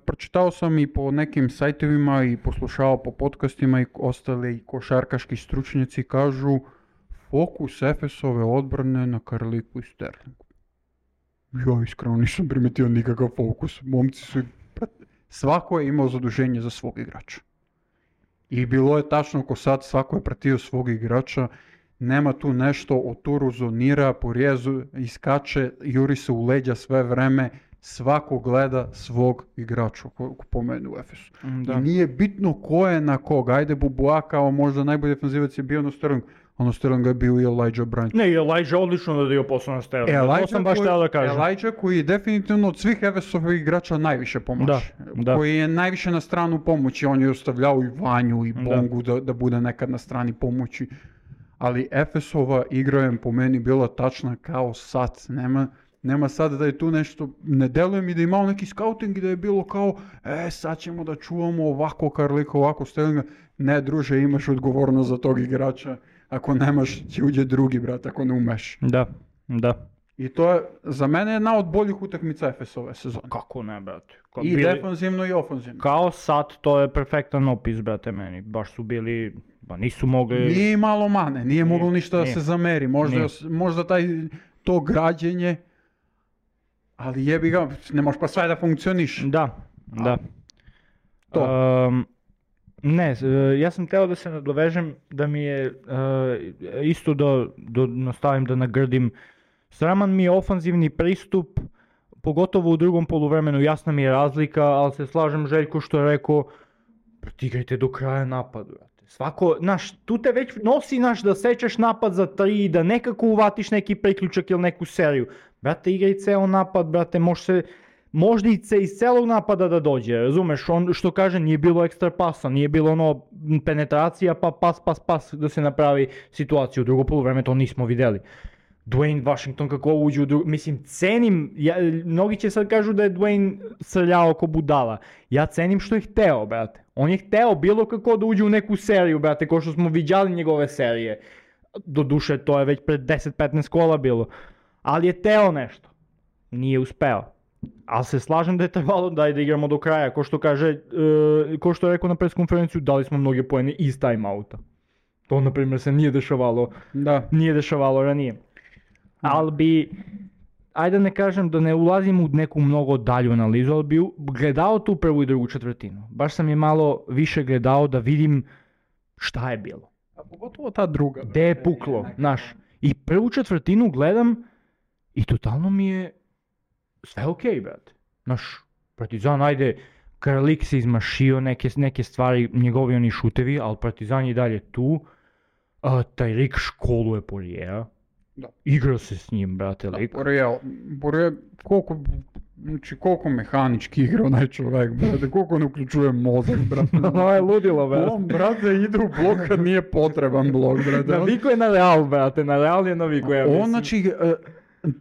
Pročitao sam i po nekim sajtovima i poslušao po podcastima i ostali košarkaški stručnjaci kažu fokus Efesove odbrane na Karliku i Sterlingu. Ja iskreno nisam primetio nikakav fokus. Momci su... Svako je imao zaduženje za svog igrača. I bilo je tačno ko sad, svako je pratio svog igrača. Nema tu nešto o turu, zonira, porjezu, iskače, juri se u leđa sve vreme. Svako gleda svog igrača, ko pomenu u Efesu. Da. I nije bitno ko je na koga. Ajde, Buboa kao možda najbolji defanzivac je bio na Sterling. Ono Sterling je bio i Elijah Bryant. Ne, Elijah odlično da dio posao na Sterling. To sam baš teo da kažem. Elijah koji je definitivno od svih Efesovih igrača najviše pomoći. Da. Koji je najviše na stranu pomoći. On je ostavljao i Vanju i Bongu da bude nekad na strani pomoći. Ali Efesova igra je po meni bila tačna kao sad. Nema sad da je tu nešto, ne deluje mi da je imao neki scouting i da je bilo kao sad ćemo da čuvamo ovako Karlika, ovako Sterlinga. Ne, druže, imaš odgovornost za tog igrača. Ako nemaš, će uđe drugi, brat, ako ne umeš. Da. I to je, za mene, jedna od boljih utakmica Efesove sezone. Kako ne, brate? I defanzivno i ofanzivno. Kao sad, to je perfektan opis, brate, meni. Baš su bili, nisu mogli... Nije malo mane, nije moglo ništa da se zameri. Možda to građenje, ali jebi ga, ne možeš pa sve da funkcioniš. Da. To. Ne, ja sam teo da se nadovežem, da mi je isto da nastavim da nagrdim. Sraman mi je ofanzivni pristup, pogotovo u drugom poluvremenu, jasna mi je razlika, ali se slažem Željko što je rekao, igrajte do kraja napadu. Svako, tu te već nosi da sečeš napad za 3, da nekako uvatiš neki priključak ili neku seriju. Brate, igraj ceo napad, brate, možda i iz celog napada da dođe, razumeš, on što kaže nije bilo ekstra pasa, nije bilo penetracija pa pas da se napravi situacija. U drugo poluvreme to nismo vidjeli. Dwayne Washington kako uđe mislim cenim, mnogi će sad kažu da je Dwayne srljao ko budala, ja cenim što je hteo, brate, on je hteo bilo kako da uđe u neku seriju, brate, ko što smo viđali njegove serije, doduše to je već pred 10-15 kola bilo, ali je hteo nešto, nije uspeo. Ali se slažem da je trebalo da igramo do kraja, ko što je rekao na press konferenciju, dali smo mnoge poene iz time-outa. To, na primjer, se nije dešavalo ranije. Ali bi, ajde da ne kažem da ne ulazim u neku mnogo dalju analizu, ali bi gledao tu prvu i drugu četvrtinu. Baš sam je malo više gledao da vidim šta je bilo. A pogotovo ta druga. Gde je puklo, znaš. I prvu četvrtinu gledam i totalno mi je sve okej, brate. Znaš, Partizan, ajde, Karlik se izmašio neke stvari, njegovi oni šutevi, ali Partizan je dalje tu. Taj Rik školuje Porijera. Igra se s njim, brate, lik. Porije, koliko mehanički igra onaj čovjek, brate, koliko ne uključuje mozak, brate. Ono je ludilo, brate. On, brate, ide u blok kad nije potreban blok, brate. Naviko je na Real, brate, na Real je naviko, ja mislim. On, znači,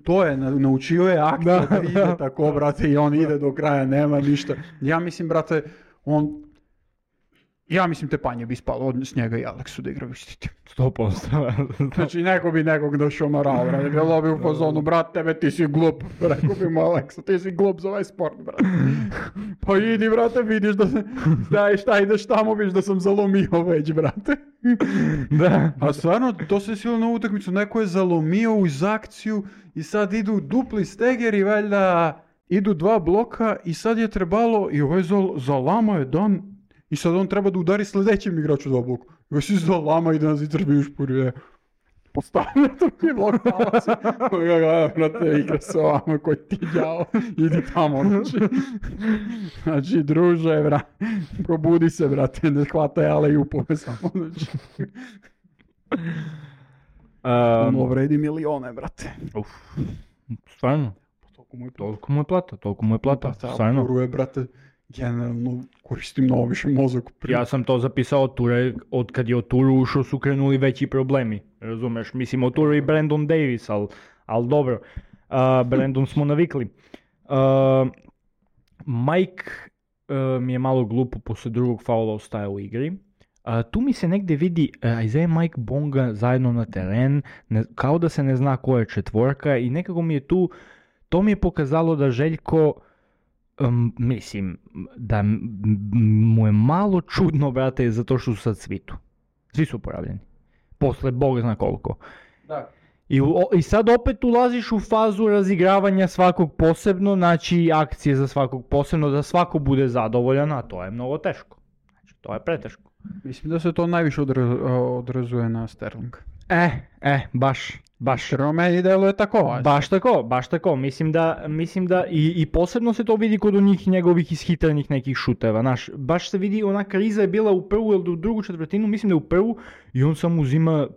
to je, naučio je akcija da ide tako, brate, i on ide do kraja, nema ništa. Ja mislim, brate, on Ja mislim Tepanje bi spalo od s njega i Aleksu da igra vištiti. 100%. Znači neko bi nekog došomarao, brate, bilo bi u fazonu, brat, tebe ti si glup, rekao bi mu Aleksu, ti si glup za ovaj sport, brate. Pa idi, brate, vidiš da šta ideš tamo, vidiš da sam zalomio već, brate. Da. A stvarno, to se silo na utakmicu, neko je zalomio uz akciju i sad idu dupli stegeri, valjda idu 2 bloka i sad je trebalo, i ovaj zalama je dan, i sad on treba da udari sljedećem igraču 2 bloka. I ovaj si zalama i da nas itrbi u špurje. Postavlja drugi blok, pala se. Brate, igra se ovamo koji ti djavo, idi tamo, znači, druže, brate, probudi se, brate, ne hvataj ale i upove samo, znači. Ono vredi milione, brate. Stvarno? Toliko mu je plata, stvarno. Turu je, brate, generalno koristim mnogo više mozak. Ja sam to zapisao od Ture, od kad je od Turu ušao su krenuli veći problemi, razumeš? Mislim, od Turu i Brandon Davis, ali dobro, Brandon smo navikli. Mike mi je malo glupo posle drugog faula ostaje u igri. Tu mi se negdje vidi Isaiah Mike Bonga zajedno na teren, kao da se ne zna ko je četvorka i nekako mi je tu, to mi je pokazalo da Željko, mislim, da mu je malo čudno, brate, zato što su sad svitu. Svi su poravljeni. Posle Bog zna koliko. Da. I sad opet ulaziš u fazu razigravanja svakog posebno, znači akcije za svakog posebno, da svako bude zadovoljan, a to je mnogo teško. Znači, to je preteško. Mislim da se to najviše odrazuje na Sterling. Baš. Jer meni deluje tako. Baš tako. Mislim da i posebno se to vidi kod onih njegovih ishitrenih nekih šuteva. Znaš, baš se vidi, ona kriza je bila u prvu ili u drugu četvrtinu, mislim da je u prvu, i on samo uzima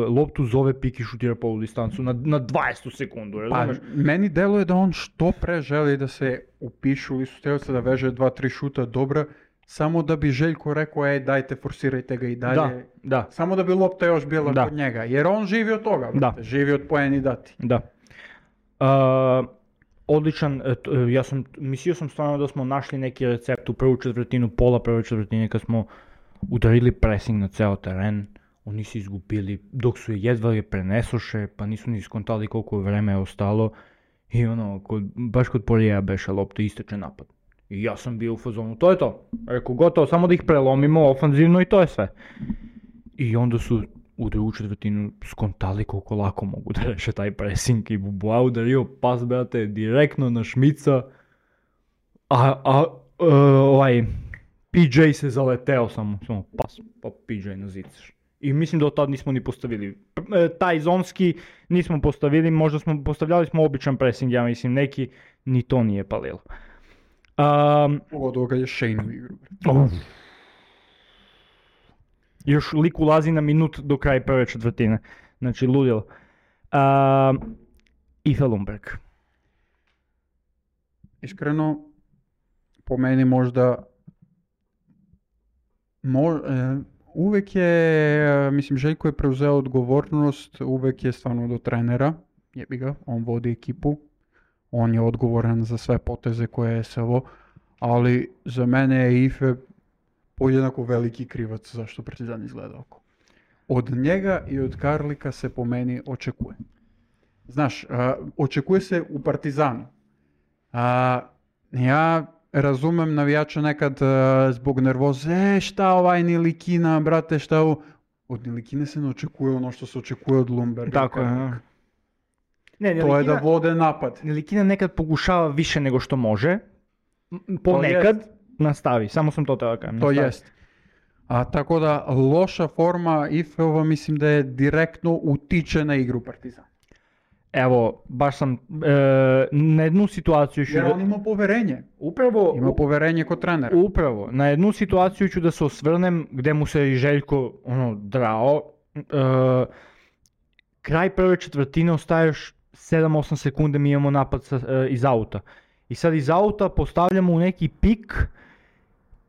loptu, zove pik i šutira polu distancu na 20 sekundu, razumeš? Pa, meni deluje da on što pre želi da se upišu u listu strelca, da veže 2-3 šuta dobra, samo da bi Željko rekao, dajte, forsirajte ga i dalje. Da. Samo da bi lopta još bila kod njega. Jer on živi od toga, brate. Živi od poeni dati. Da. Odličan, mislio sam stvarno da smo našli neki recept u prvu četvrtinu, pola prve četvrtine, kad smo udarili pressing na ceo teren. Oni su izgubili, dok su jedva je prenesoše, pa nisu ni skontali koliko vreme je ostalo. I baš kod Porija beše lopta, isteče napad. I ja sam bio u fazonu, to je to. Rekao, gotovo, samo da ih prelomimo ofanzivno i to je sve. I onda su u drugu četvrtinu skontali koliko lako mogu da reše taj pressing i Buboa udario pas, brate, direktno na Šmica. PJ se zaleteo samo pas, pa PJ na zicaš. I mislim da od tad nismo ni postavili. Taj zonski nismo postavili, možda postavljali smo običan pressing, ja mislim, neki, ni to nije palilo. Pogotovo kad je Shane u igru. Još lik ulazi na minut do kraja prve četvrtine. Znači, ludilo. Ife Lundberg. Iskreno, po meni možda uvek je, mislim, Željko je preuzeo odgovornost, uvek je stvarno do trenera, jebi ga, on vodi ekipu, on je odgovoran za sve poteze koje je SVO, ali za mene je Ife podjednako veliki krivac zašto Partizan izgleda oko. Od njega i od Karlika se po meni očekuje. Znaš, očekuje se u Partizanu. Ja razumem navijača nekad zbog nervoze, šta ovaj Nilikina, brate, šta ovo. Od Nilikine se ne očekuje ono što se očekuje od Lundberga. Tako je. To je da vode napad. Nilikina nekad pokušava više nego što može. Ponekad nastavi, samo sam to teo kažem. To jest. Tako da loša forma Ifeova mislim da je direktno utiče na igru Partizana. Evo, baš sam na jednu situaciju ću... Jer on ima poverenje. Upravo... Ima poverenje kod trenera. Upravo. Na jednu situaciju ću da se osvrnem gde mu se i Željko drao. Kraj prve četvrtine ostaješ 7-8 sekunde, mi imamo napad iz auta. I sad iz auta postavljamo u neki pik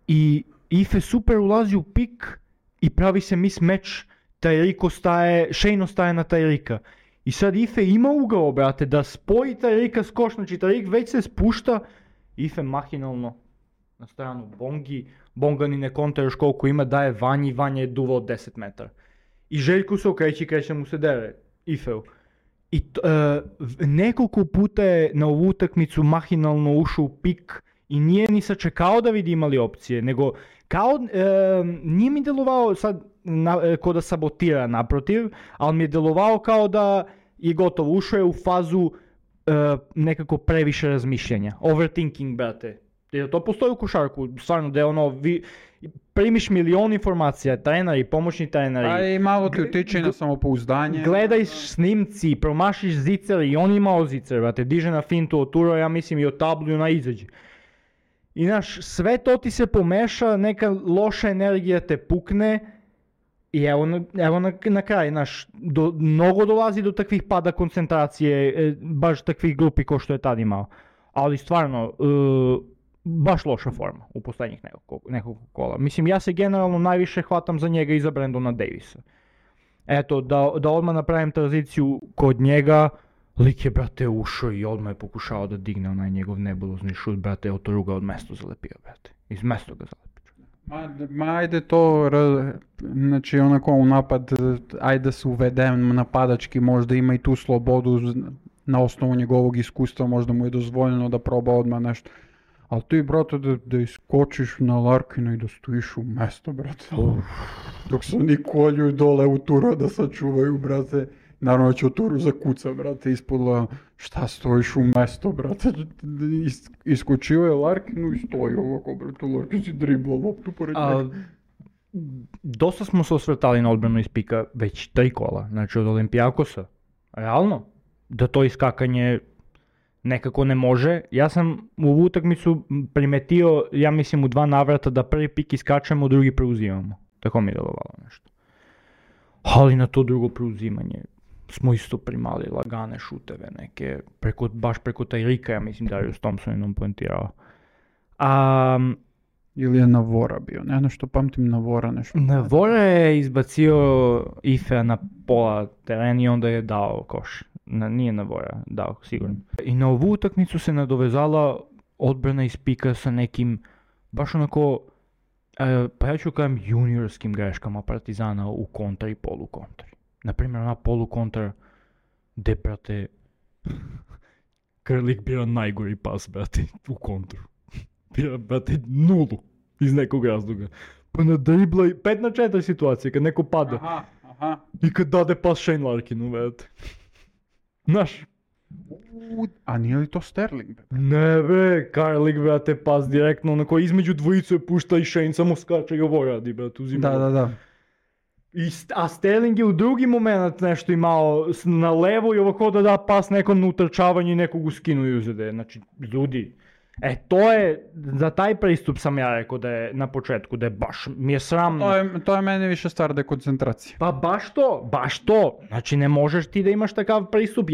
i Ife super ulazi u pik i pravi se mismatch, Shane ostaje na Tyrika. I sad Ife ima ugao, brate, da spoji Tyrika s koš, znači Tyrik već se spušta, Ife mahinalno na stranu Bonga ni ne konta još koliko ima, daje Vanji, Vanja je duvao 10 metara. I Željko se okreće i kreće mu se dere, Ifeu. I nekoliko puta je na ovu utakmicu mahinalno ušao u pik i nije ni sačekao da vidi imali opcije, nego kao, nije mi delovao sad ko da sabotira naprotiv, ali mi je delovao kao da je gotovo, ušao je u fazu nekako previše razmišljanja. Overthinking, brate. Jer to postoji u košarku, stvarno da je ono, primiš milion informacija, treneri, pomoćni treneri. A i malo ti utiče na samopouzdanje. Gledaj snimci, promašiš zicer i on imao zicer, brate, diže na fintu, oturo, ja mislim i od tablu na izađe. I znaš, sve to ti se pomeša, neka loša energija te pukne i evo na kraj, znaš, mnogo dolazi do takvih pada koncentracije, baš takvih glupi ko što je tad imao. Ali stvarno, baš loša forma u posljednjih nekog kola. Mislim, ja se generalno najviše hvatam za njega i za Brandona Davisa. Eto, da odmah napravim tranziciju kod njega, lik je, brate, ušao i odmah je pokušao da digne onaj njegov nebulozni šut, brate, od ruga od mesto zalepio, brate. Iz mesto ga zalepio. Ma ajde to, znači onako u napad, ajde da se uvedem napadački, možda ima i tu slobodu na osnovu njegovog iskustva, možda mu je dozvoljeno da proba odmah nešto. Ali ti, brate, da iskočiš na Larkina i da stojiš u mesto, brate. Dok se oni kolju dole u turu da sačuvaju, brate. Naravno će u turu zakuca, brate, ispodla šta stojiš u mesto, brate. Iskočio je Larkinu i stoji ovako, brate. Larkin si dribla loptu pored njega. Dosta smo se osvrtali na odbranu iz pika već 3 kola, znači od Olimpijakosa. Realno, da to iskakanje nekako ne može. Ja sam u ovu utakmicu primetio, ja mislim u 2 navrata da prvi pik iskačemo, drugi preuzimamo. Tako mi je delovalo nešto. Ali na to drugo preuzimanje smo isto primali lagane šuteve neke, baš preko Tajrika, ja mislim da Darius Thompson jednom poentirao. Ili je Navora bio, ne što pamtim Navora nešto. Navora je izbacio Ifea na pola terena i onda je dao koš. Nije Navora dao, sigurno. I na ovu utakmicu se nadovezala odbrana iz pika sa nekim, baš onako, pa ja ću kažem juniorskim greškama Partizana u kontra i polukontri. Naprimjer, ona polukontra gde, brate, Krlik bira najgori pas, brate, u kontru. Bira, brate, 0 iz nekog razloga. Pa na dribla 5-4 situacije, kad neko pada. Aha. I kad dade pas Shane Larkinu, brate. Znaš? A nije li to Sterling? Ne be, Karlik, brate, pas direktno, onako između dvojicu je pušta i Shane samo skače i ovo radi, brate, uzima. Da. A Sterling je u drugi moment nešto imao na levo i ovako da pas nekom na utrčavanje i nekog u skinu i uzede. Znači, ljudi, to je, za taj pristup sam ja rekao da je na početku, da je baš, mi je sramno. To je meni više stvar dekoncentracije. Pa baš to. Znači, ne možeš ti da imaš takav pristup.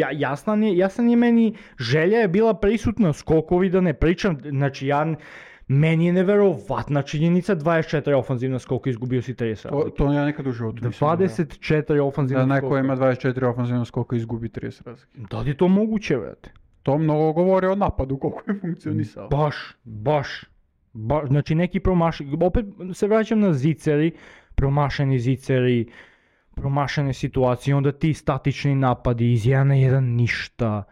Jasan je meni, želja je bila prisutna, skokovi da ne pričam, znači meni je neverovatna činjenica, 24 ofanzivna skoka, izgubio si 30 razlike. To ja nekad u životu 24 ofanzivna skoka. Da neko ima 24 ofanzivna skoka i izgubi 30 razlike. Da li je to moguće, vrate? To mnogo govori o napadu, koliko je funkcionisao. Baš. Znači neki opet se vraćam na ziceri, promašeni ziceri, promašene situacije, onda ti statični napadi, iz 1 na 1 ništa.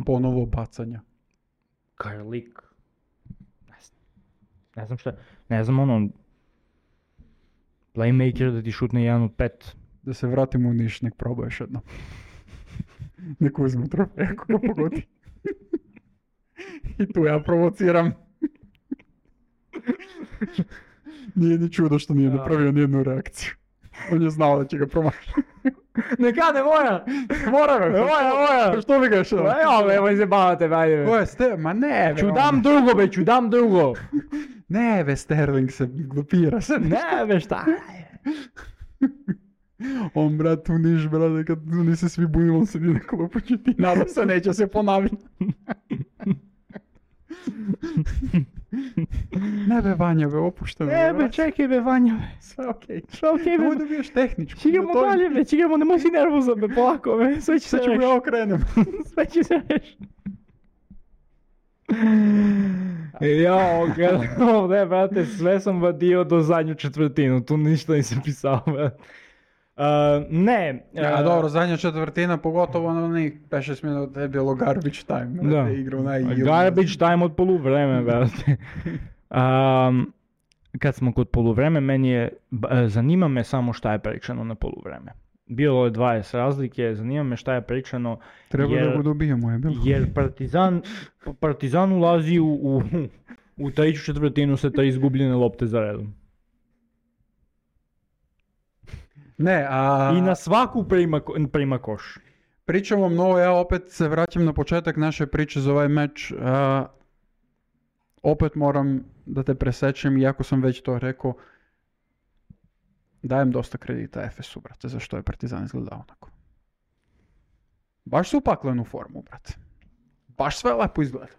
Ponovo bacanja. Karlik. Ne znam šta, playmaker da ti šutne 1 od 5. Da se vratimo u Niš, nek proba još jedno. Nek uzme trofej ako ga pogodi. I tu ja provociram. Nije ni čudo što nije napravio nijednu reakciju. On je znao da će ga promašiti. Neka, ne mora! Ne mora! Što bi ga još? Evo izjebavate, bajde. Ko je ma ne, Ću dam drugo. Ne, ve, Sterling se glupira se. Ne, šta? On, brat, u Niš, brate, kad oni se svi bujimo, on sedi na klupu, će ti nada se, neće se ponaviti. Ne be, Vanja, be, opuštam. Ne be, čekaj be, Vanja, be. Sve okej. Be. Ovo da bi još tehničko. Čigamo dalje, be, nemoj si nervozan, be, polako, be. Sve će se reši. Sad ću ja okrenem. Sve će se reši. Ne, brate, sve sam vadio do zadnju četvrtinu, tu ništa nisam pisao, brate. Dobro, zadnja četvrtina, pogotovo na onih 5-6 minuta je bilo garbage time. Da, garbage time od poluvreme, brate. Kad smo kod poluvreme, zanima me samo šta je pričano na poluvreme. Bilo je 20 razlike, zanima me šta je pričano. Treba da ga dobijemo, je bilo. Jer Partizan ulazi u treću četvrtinu sa 3 izgubljene lopte za redom. I na svaku prima koš. Pričamo mnogo, ja opet se vraćam na početak naše priče za ovaj meč. Opet moram da te presečem, iako sam već to rekao, dajem dosta kredita Efesu, brate, zašto je Partizan izgledao onako. Baš su upaklenu formu, brate. Baš sve lepo izgleda.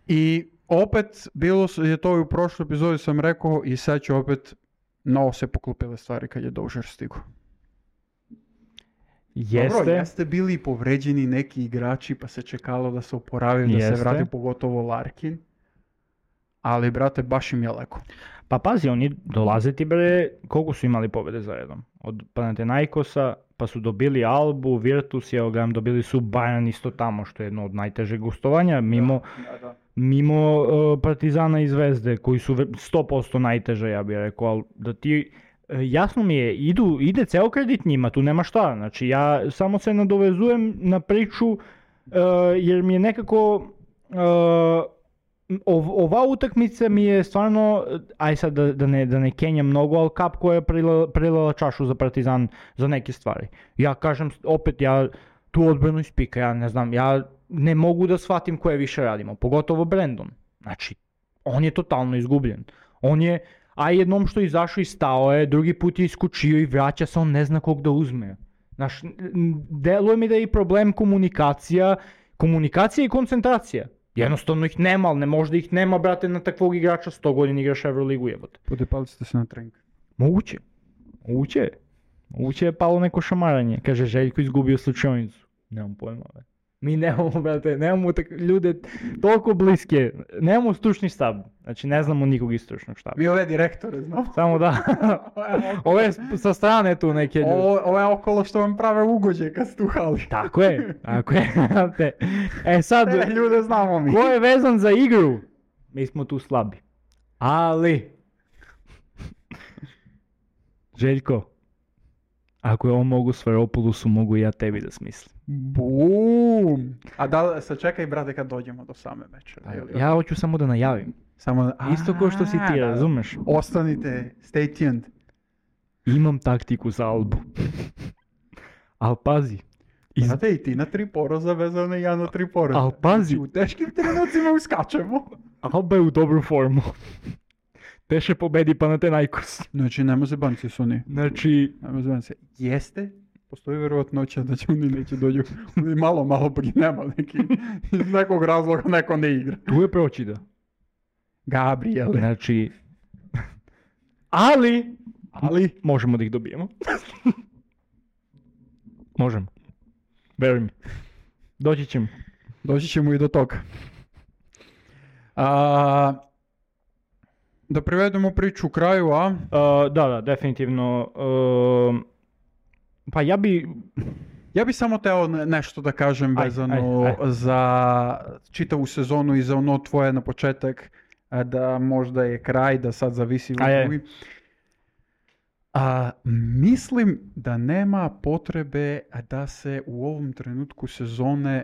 I opet, bilo je to i u prošloj epizodi sam rekao i sad ću opet novo se poklopile stvari kad je Dožer stigo. Dobro, jeste bili povređeni neki igrači pa se čekalo da se oporavi, da se vrati, pogotovo Larkin. Ali, brate, baš im je leko. Pa pazi, oni dolaze ti, bre, koliko su imali pobjede za redom? Od Panathinaikosa, pa su dobili Albu, Virtus, dobili su Bayern isto tamo, što je jedno od najtežeg gostovanja, mimo Partizana i Zvezde, koji su 100% najteže, ja bih rekao, ali da ti... Jasno mi je, ide ceo kredit njima, tu nema šta, znači ja samo se nadovezujem na priču jer mi je nekako, ova utakmica mi je stvarno, aj sad da ne kenjam mnogo, ali kap koja je prilila čašu za Partizan za neke stvari. Ja kažem opet, ja tu odbranu ispika, ja ne znam, ja ne mogu da shvatim koje više radimo, pogotovo Brandon, znači on je totalno izgubljen, on je... A jednom što je izašao i stao je, drugi put je iskočio i vraća se, on ne zna kog da uzme. Znaš, deluje mi da je i problem komunikacija i koncentracija. Jednostavno ih nema, ali ne možda ih nema, brate, na takvog igrača, 100 godina igraš Euroligu, jebote. Podepali ste se na trening. Moguće je palo neko šamaranje. Kaže, Željko izgubio slučajnicu. Nemam pojma, brate. Mi nemamo, brate, ljude toliko bliske, nemamo stručni štab, znači ne znamo nikog iz stručnog štaba. Mi ove direktore znamo. Samo da, ove sa strane tu neke ljudi. Ovo je okolo što vam prave ugođe kad ste u hali. Tako je. Sad, te ljude znamo mi. Ko je vezan za igru? Mi smo tu slabi. Ali, Željko, ako je on mogu Sferopoulosu, mogu i ja tebi da smislim. Bum! A sačekaj, brate, kad dođemo do same meče. Ja hoću samo da najavim. Isto kao što si ti, razumeš? Ostanite, stay tuned. Imam taktiku za Albu. Al pazi. Znate i ti na 3 poroza vezano i ja na 3 poroza. Al pazi. U teškim trenucima uskačemo. Alba je u dobru formu. Te še pobedi Panathinaikos. Znači, nema se banci su oni. Znači... Nema se banci. Jeste? Postoji vjerovatnoća da će oni neće dođu. Malo nema neki. Iz nekog razloga neko ne igra. Tu je Pročida. Gabriele. Znači... Ali... Možemo da ih dobijemo. Možemo. Veruj mi. Doći ćemo i do toga. Da privedemo priču u kraju, a? Da, definitivno. Pa ja bi samo teo nešto da kažem vezano za čitavu sezonu i za ono tvoje na početak, da možda je kraj, da sad zavisi od drugih. Mislim da nema potrebe da se u ovom trenutku sezone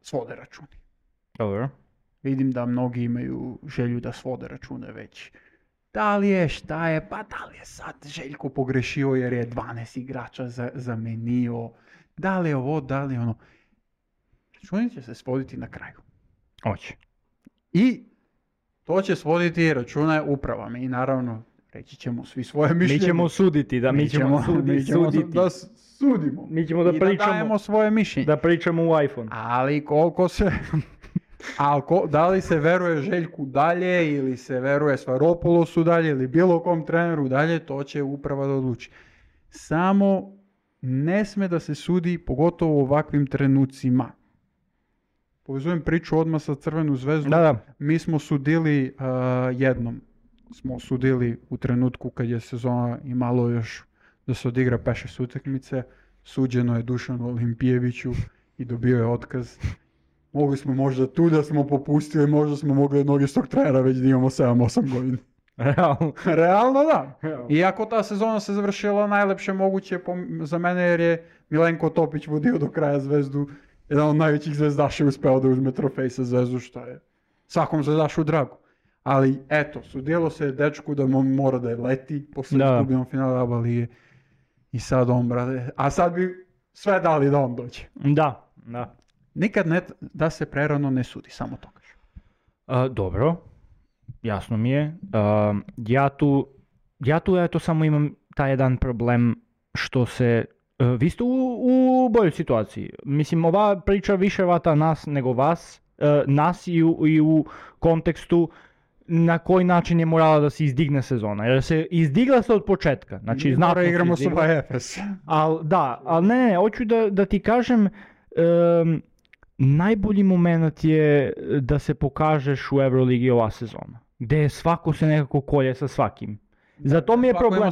svode računi. Dobro. Vidim da mnogi imaju želju da svode račune već. Da li je, šta je, pa da li je sad Željko pogrešio jer je 12 igrača zamenio, da li je ovo, da li je ono. Računi će se svoditi na kraju. Hoće. I to će svoditi račune uprava. Mi naravno reći ćemo svi svoje mišljenje. Mi ćemo suditi, da mi ćemo suditi. Da sudimo. Mi ćemo da pričamo. I da dajemo svoje mišljenje. Da pričamo u iPhone. Ali koliko se... da li se veruje Željku dalje ili se veruje Sferopoulosu dalje ili bilo kom treneru dalje, to će uprava da odluči. Samo ne sme da se sudi, pogotovo u ovakvim trenucima. povezujem priču odmah sa Crvenu zvezdu. Da. Mi smo sudili jednom. Smo sudili u trenutku kad je sezona imalo još da se odigra 5-6 utakmice. Suđeno je Dušanu Olimpijeviću i dobio je otkaz. Mogli smo možda tu da smo popustili, možda smo mogli od istog trenera već da imamo 7-8 godina. Realno da. Iako ta sezona se završila najlepše moguće za mene jer je Milenko Topić vodio do kraja Zvezdu. Jedan od najvećih zvezdaša je uspeo da uzme trofej sa Zvezdu, što je svakom zvezdašu drago. Ali eto, sudjelo se dečku da mora da je leti posle izgubljenog finala ABA lige. I sad on, brate, a sad bi sve dali da on dođe. Da. Nikad ne da se prerano ne sudi, samo to kažem. Dobro, jasno mi je. Ja tu eto samo imam taj jedan problem što se... vi ste u boljoj situaciji. Mislim, ova priča više vata nas nego vas. Nas i u kontekstu na koji način je morala da se izdigne sezona. Jer se izdigla se od početka. Znači, znatno igramo sa Efes. Ali ne, hoću da ti kažem, najbolji moment je da se pokažeš u Euroligi ova sezona. Gde svako se nekako kolje sa svakim. Zato mi je problem.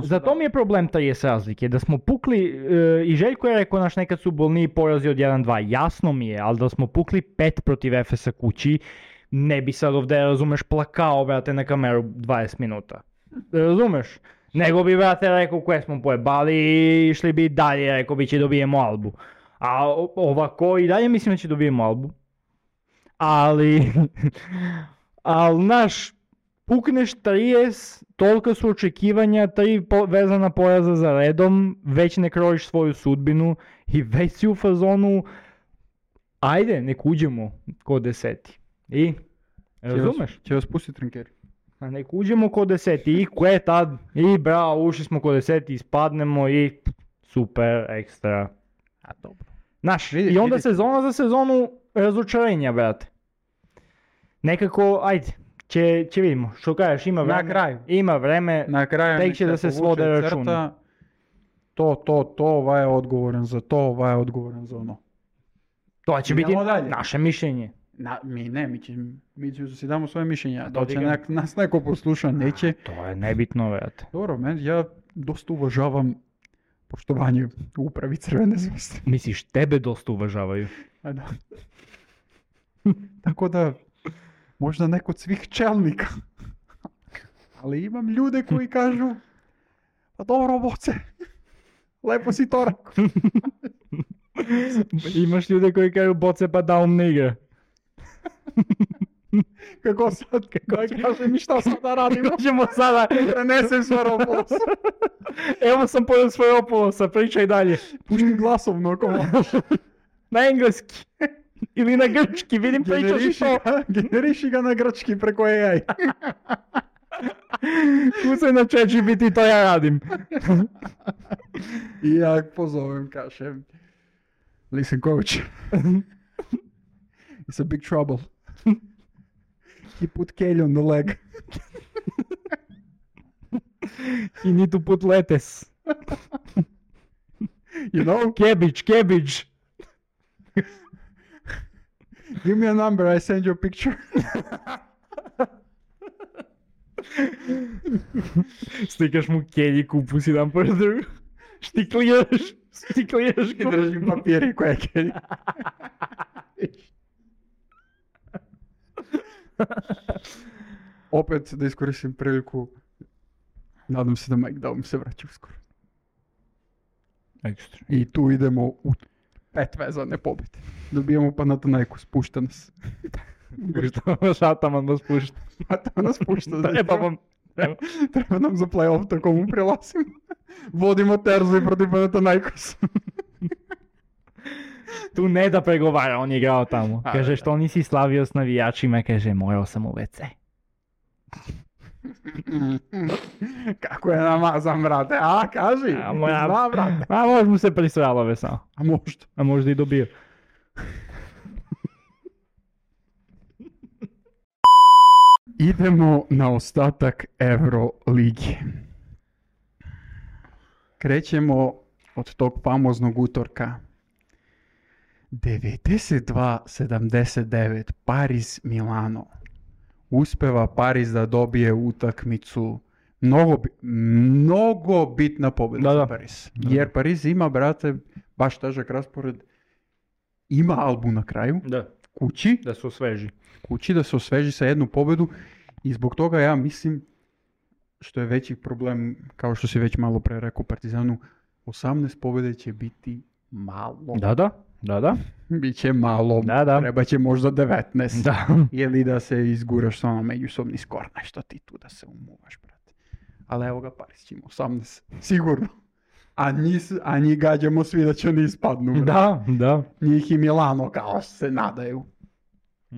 Zato mi je problem 30 razlike. Da smo pukli, i Željko je rekao naš nekad su bolniji porazi od 1-2. Jasno mi je, ali da smo pukli 5 protiv Efesa kući, ne bi sad ovdje, razumeš, plakao, brate, na kameru 20 minuta. Razumeš? Nego bi, brate, rekao koje smo pojebali i išli bi dalje, rekao bi će dobijemo Albu. A ovako i dalje mislim da će dobijemo Albu. Ali naš, pukneš 30, tolika su očekivanja, 3 vezana poraza za redom, već ne krojiš svoju sudbinu i već si u fazonu, ajde, nek uđemo ko 10. I, razumeš? Će vas pustiti trinkeri. A nek uđemo ko 10. I koje tad? I bravo, ušli smo ko 10. Ispadnemo i super, ekstra. A dobro. Znaš, i onda sezona za sezonu razočarenja, brate. Nekako, ajde, će vidimo. Što kažeš, ima vreme. Na kraju. Ima vreme, na kraju tek će da se svode računi. To, ovaj je odgovoran za to, ovaj je odgovoran za ono. To će biti naše mišljenje. Mi ćemo si damo svoje mišljenje, da će nas neko posluša, neće. To je nebitno, vrate. Dobro, ja dosta uvažavam poštovanje u upravi Crvene zvezde. Misliš, tebe dosta uvažavaju? A da. Tako da, možda neko od svih čelnika. Ali imam ljude koji kažu, pa dobro, Boce, lepo si to rekao. Imaš ljude koji kažu, Boce, pa da ne igra. Kako sad? Kaže mi šta sada radimo? Možemo sada... Prenesem Svaropoulosa. Evo sam pojel Svaropoulosa, pričaj dalje. Pušti glasovno ako možeš. Na engleski. Ili na grčki, vidim pričaš i to. Generiši ga na grčki preko AI. Kucaj na ChatGPT, to ja radim. I ja pozovem, kažem. Listen, coach. It's a big trouble. He put Kelly on the leg. You need to put lettuce. You know? Cabbage. Give me a number, I send you a picture. Slikaš mu Kelly, kupus jedan po drugu. Štikliraš I držim papiri koje je Kelly. Opet da iskoristim priliku, nadam se da Mike Daum se vraća uskoro. Ekstra. I tu idemo u 5 vezane pobjede. Dobijemo Panathinaikos, pušta nas. Ataman nas pušta. Ataman nas pušta. Treba nam za play-off, tako mu prilazimo. Vodimo Terzu i protiv Panathinaikos. Tu ne da pregovara, on je igrao tamo. Kaže, što nisi slavio s navijačima? Kaže, morao sam u WC. Kako je namazan, brate? A, kaži. Zna, brate. A možda mu se prisralo ve samo. A možda i dobio. Idemo na ostatak Euroligi. Krećemo od tog famoznog utorka. 92-79 Paris Milano. Uspeva Paris da dobije utakmicu. Mnogo bitna pobjeda za Paris. Jer Paris ima, brate, baš težak raspored. Ima Albu na kraju. Da. Kući. Da se osveži. Kući da se osveži sa jednu pobjedu. I zbog toga ja mislim, što je veći problem, kao što si već malo pre rekao Partizanu, 18 pobjede će biti malo. Da. Biće malo, treba će možda 19. Da. Ili da se izguraš sa ono međusobni skor, nešto ti tu da se umuvaš, brate. Ali evo ga, Paris će ima 18, sigurno. A njih gađamo svi da će oni ispadnu, brate. Da. Njih i Milano kao se nadaju.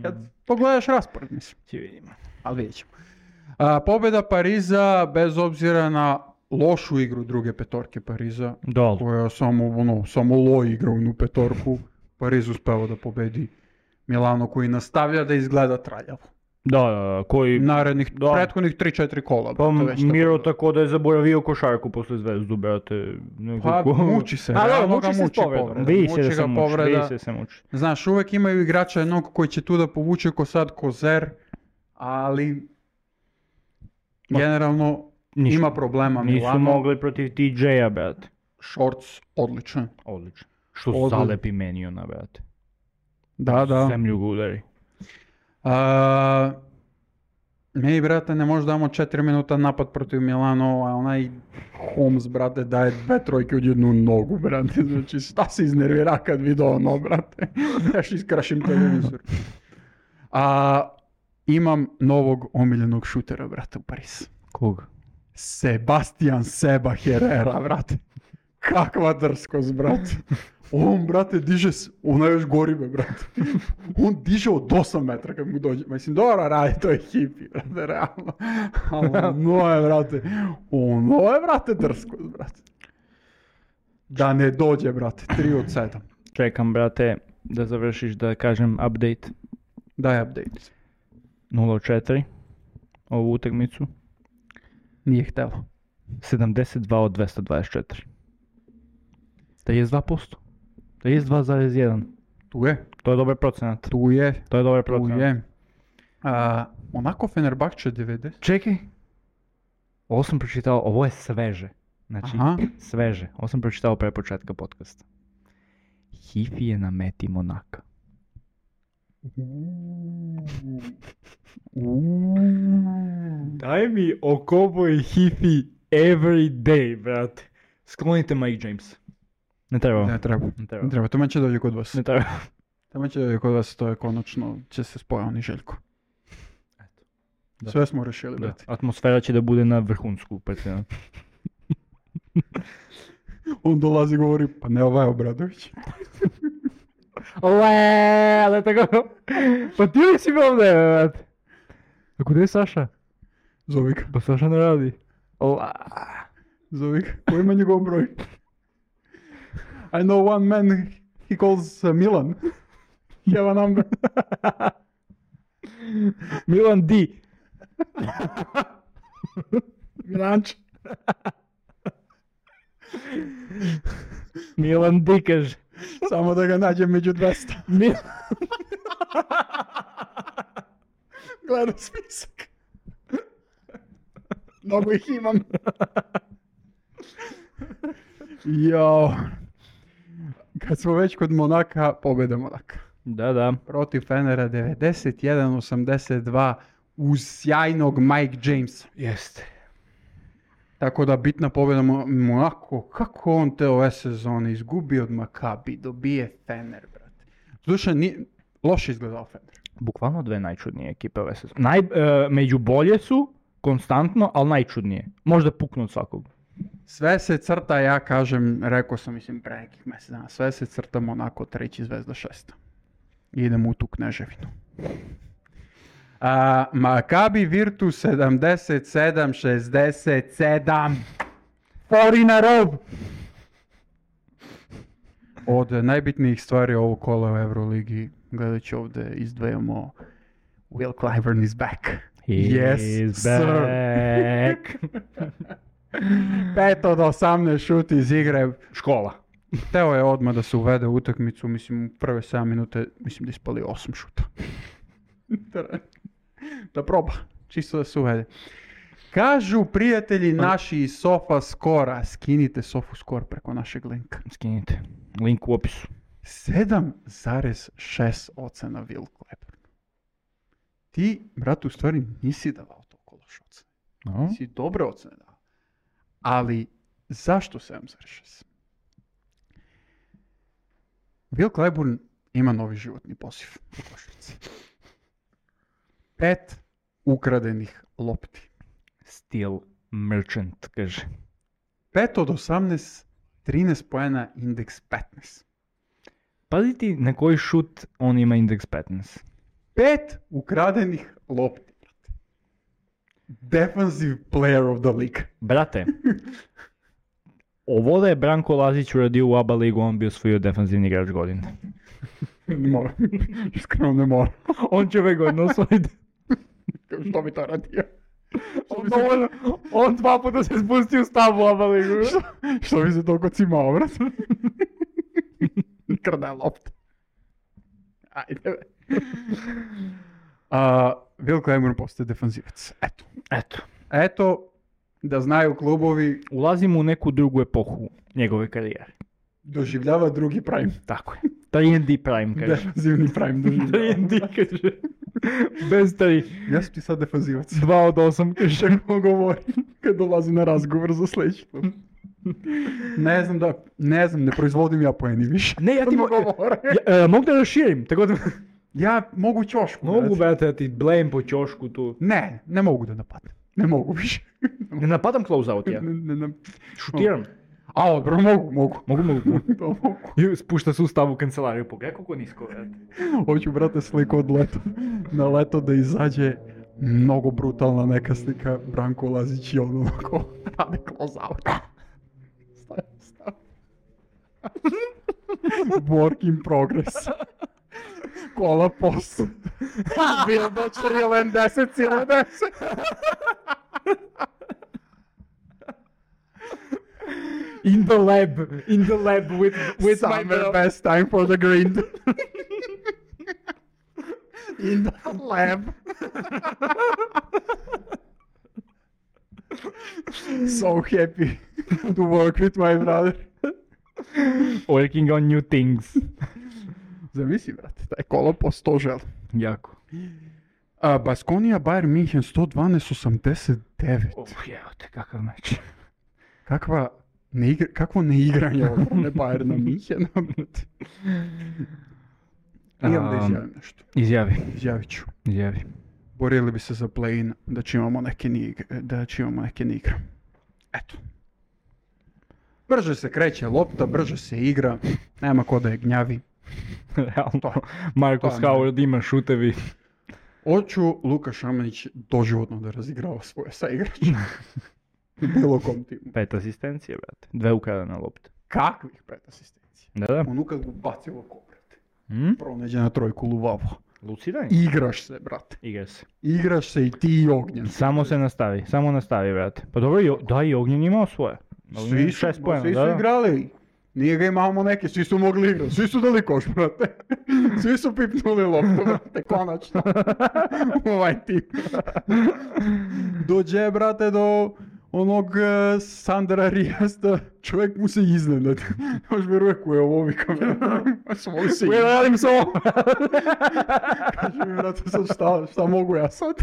Kad pogledaš raspored, mislim. Će vidimo. Ali vidjet ćemo. Pobjeda Pariza, bez obzira na lošu igru druge petorke Pariza, koja samo lo igra u petorku, Pariz uspeo da pobedi Milano koji nastavlja da izgleda traljavo. Da, koji... Prethodnih 3-4 kola. Pa Miro tako da je zaboravio košarku posle Zvezdu, brate. Pa muči se. Muči se s povredom. Vidi se muči. Znaš, uvek imaju igrača jednog koji će tu da povuče ko sad Kozer, ali generalno ima problema Milano. Nisu mogli protiv TJ-a, brate. Shorts, odličan. Što zalepi meni ona, brate. Da. Zemlju ga udari. Mi, brate, ne možda damo 4 minuta napad protiv Milano, a onaj Holmes, brate, daje 2 trojke u jednu nogu, brate. Znači, šta se iznervira kad vidio ono, brate? Još iskrašim televizor. Imam novog omiljenog šutera, brate, u Paris. Koga? Sebastian Seba Herrera, brate. Kakva drskost, brate. On, brate, diže, ona još gori me, brate. On diže od 8 metra kad mu dođe. Mislim, dobro radi, to je hipi, brate, realno. Ono je, brate, drskost, brate. Da ne dođe, brate, 3 od 7. Čekam, brate, da završiš da kažem update. Daj update. 0-4, ovu utakmicu. Nije htelo. 72 od 224. 32%. 32,1. Tu je. To je dobar procenat. Tu je. To je dobar procenat. Onako Fenerbahče 90. Čekaj. Ovo sam pročitao, ovo je sveže. Znači, sveže. Ovo sam pročitao pre početka podcasta. Hifi je na meti Monaka. Daj mi Okobo i Hifi every day, brate. Sklonite Mike James. Ne treba. To će dođe kod vas. Ne treba. To će dođe kod vas, to je konačno, će se spoja oni Željko. Sve smo rešili, brate. Atmosfera će da bude na vrhunsku, pretredno. On dolazi i govori, pa ne ovaj Obradović. Ale tako, pa ti li si bio ovdje, brate? A kude je Saša? Zovi ga. Pa Saša ne radi. Zovi ga, koji ima njegov broj? I know one man, he calls Milan. You have a number. Milan D. Milanč. Milan D kaže. Samo da ga nađem među 200. Gledam spisak. Mnogo ih imam. Jao. Kad smo već kod Monaka, pobjeda Monaka. Da. Protiv Fenera 91-82 uz sjajnog Mike Jamesa. Jeste. Tako da bitna pobjeda Monako. Kako on te ove sezone izgubi od Makabi, dobije Fener, brate. Slušaj, loše izgledao Fener. Bukvalno dve najčudnije ekipe ove sezone. Među bolje su, konstantno, ali najčudnije. Možda puknu od svakog. Sve se crta, ja kažem, rekao sam, mislim, pre nekih mjesec dana, sve se crta Monako 3, Zvezda 6. Idemo u tu Kneževinu. Makabi Virtus 77-67. 4 in a row. Od najbitnijih stvari ovog kola u Euroligi, gledajući ovdje, izdvajamo Will Clyburn is back. Yes, back. 5 od 18 šut iz igre. Škola. Teo je odmah da se uvede u utakmicu, mislim u prve 7 minute, mislim da ispali 8 šuta. Da proba, čisto da se uvede. Kažu prijatelji naši iz Sofa Skora, skinite Sofu Skor preko našeg linka. Skinite. Link u opisu. 7,6 ocena Will Clyburn. Ti, brate, u stvari nisi davao toliko loš ocene. No. Si dobre ocene dao. Ali, zašto 7,6? Will Clyburn ima novi životni poziv u košarci. 5 ukradenih lopti. Steel Merchant, kaže. 5 od 18, 13 poena, indeks 15. Pazi ti na koji šut on ima indeks 15. 5 ukradenih lopti. Defensive player of the league. Brate, ovo da je Branko Lazić uradio u ABA ligu, on bi osvojio defensivni igrač godine. Ne mora. Iskreno ne mora. On će ove godine osvojiti. Što bi to radio? On 2 puta se spusti u stavu u ABA ligu. Što bi se toliko cimao, brate? Krda lopta. Ajde. Will Clyburn postaje defanzivac. Eto, da znaju klubovi, Ulazimo u neku drugu epohu njegove karijere. doživljava drugi prime. Tako je. 3&D prime, kaže. Defanzivni prime doživljava. 3&D, kaže. Bez 3. Ja sam ti sad defanzivac. 2 od 8, kaže. Kako govori kad dolazi na razgovor za sljedeći klub. Ne znam, ne proizvodim ja poeni više. Ne, ja ti mogu da raširim, tako da... Ja mogu ćošku. Mogu, brate, da ti blame po ćošku tu. Ne mogu da napadnem. Ne mogu više. Ne napadam close-out ja. Šutiram. A, dobro, mogu. Mogu. I spušta sustav u kancelariju. Pogledaj koliko nisko, brate. Hoću, brate, sliku od leta. Na leto da izađe mnogo brutalna neka slika Branko Lazić i ono onako rade close-out. Stav. Work in progress. Kola post. Bildo 10,10. In the lab with Summer my bro. best time for the grind. In the lab. So happy to work with my brother. Working on new things. Zamisli, brate, taj kolopost to želi. Jako. Baskonija Bayern München 112-89. Evo te, kakav meč. Kakvo neigranje ovo, ne Bayerna Münchena, brate. Imam da izjavim nešto. Izjavit ću. Izjavi. Borili bi se za play-in da će imamo neke igre. Eto. Brže se kreće lopta, brže se igra, nema ko da je gnjavi. Realno, Marcus Howard ima šutevi. Hoću Luka Šamanić doživotno da razigrava svoje saigrače. Bilo kom timu. 5 asistencije, brate. 2 ukradene lopte. Kakvih 5 asistencija? Da. Ono kad ga baci ovako, brate. Proneđe na trojku luvavo. Lucidan? Igraš se, brate. Igraš se i ti i Ognjen. Samo nastavi, brate. Pa dobro, i Ognjen imao svoje. Svi su igrali. Nije ga imamo neke, svi su mogli igrati. Svi su dali koš, brate. Svi su pipnuli loptu, brate, konačno. Ovaj tip. Dođe, brate, do onog Sandra Rijasta, čovjek mu se iznenadi. Još vjeruje ko je ovo vikam. Svoj si. Ja radim s ovo. Kaže mi, brate, sad šta mogu ja sad?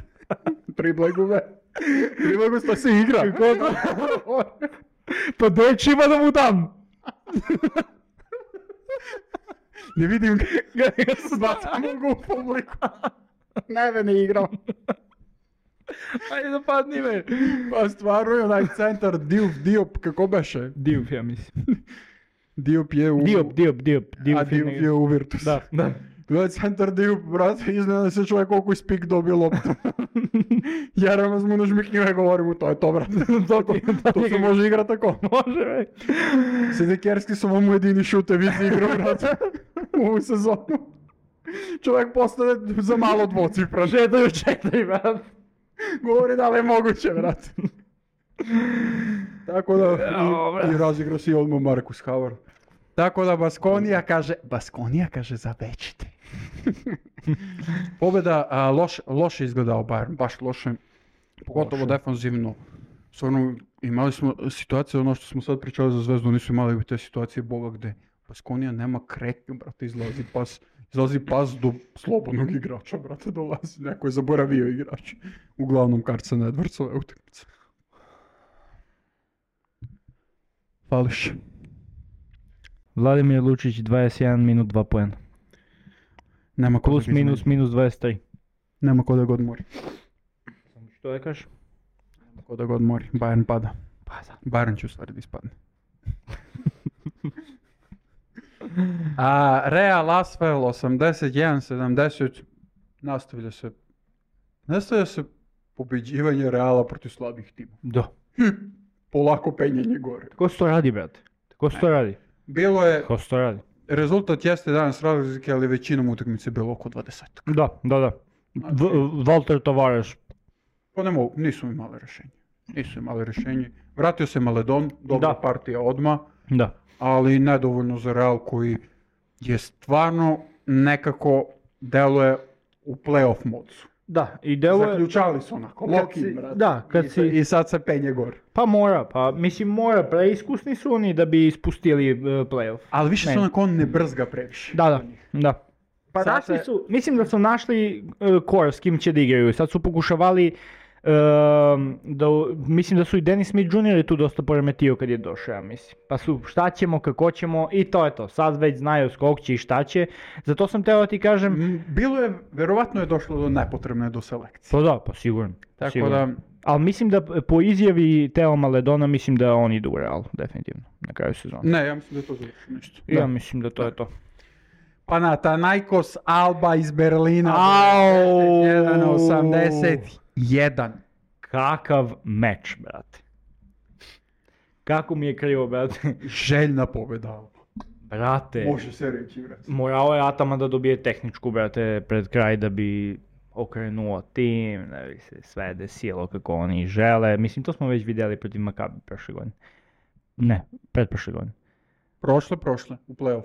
Triblegu sta se igra. Pa doći ima da mu dam. Ne vidim ga bacam mogu u publiku. Ne igram. Ajde da padni me. Pa stvarno je onaj centar Diop, kako beše? Diop, ja mislim. Diop je u... Diop. A Diop je u Virtus. Da. Gledaj centar Diop, brate, iznenada se čovjek koliko ispik dobio loptu. Jeremaz mu nažmiknju i govori mu, to je to, brate. To se može igrati tako. Može, već. Sedekerski su mu jedini šutevi iz igru, brate, u ovu sezonu. Čovjek postane za malo dvocifra. 4, brate. Govori da li je moguće, brate. Tako da, i razigra si odmah Marcus Howard. Tako da Baskonija kaže zavećite. Pobjeda, loše izgledao Bayern, baš loše. Pogotovo defanzivno. Stvarno, imali smo situacije, ono što smo sad pričali za Zvezdu, nisu imali te situacije boga gde Baskonija nema kretnju, brate, izlazi pas do slobodnog igrača, brate, dolazi. Neko je zaboravio igrač. Uglavnom Carson Edwardsove utakmice. Fališ. Vladimir Lučić 21 minut 2 poena. Nema ko Plus minus 23. Nema ko da ga odmori. Što je kažeš? Nema ko da ga odmori. Bayern pada. Pa da. Bayern će u stvari da ispadne. Real Asvel 81-70. Nastavlja se pobeđivanje Reala protiv slabih tima. Da. Polako penjenje gore. Ko se to radi, brate? Ko se to radi? Bilo je, Ko se to radi? rezultat jeste danas razlike, ali većinom utakmice je bilo oko 20. Da. Walter Tavares. Pa ne mogu, nisu imali rješenje. Vratio se Maledon, dobra partija odmah, Da. ali nedovoljno za Real koji je stvarno nekako deluje u playoff modsu. Da, i deluje... Zaključali su onako, Loki, brate. Da, I sad se penje gore. Pa mora, preiskusni su oni da bi ispustili playoff. Ali više su onako, on ne brzga previše. Da. Pa našli su, mislim da su našli core s kim će da igraju. Sad su pokušavali, mislim da su i Dennis Smith Jr. tu dosta poremetio kad je došao, ja mislim. Pa su šta ćemo, kako ćemo i to je to. Sad već znaju skog će i šta će. Zato sam teo da ti kažem... Verovatno je došlo do nepotrebne do selekcije. Pa da, pa sigurno. Tako da... Ali mislim da po izjavi Teo Maledona mislim da on ide u Real, definitivno, na kraju sezona. Ne, ja mislim da je to završi nešto. Ja mislim da to je to. Panathinaikos Alba iz Berlina. 81. Kakav meč, brate. Kako mi je krivo, brate. Željna pobjeda Alba. Brate. Može se reći, brate. Morao je Ataman da dobije tehničku, brate, pred kraj da bi okrenuo tim, da bi se sve desilo kako oni žele. Mislim, to smo već vidjeli protiv Makabi prošle godine. Ne, pretprošle godine. Prošle, u play-off.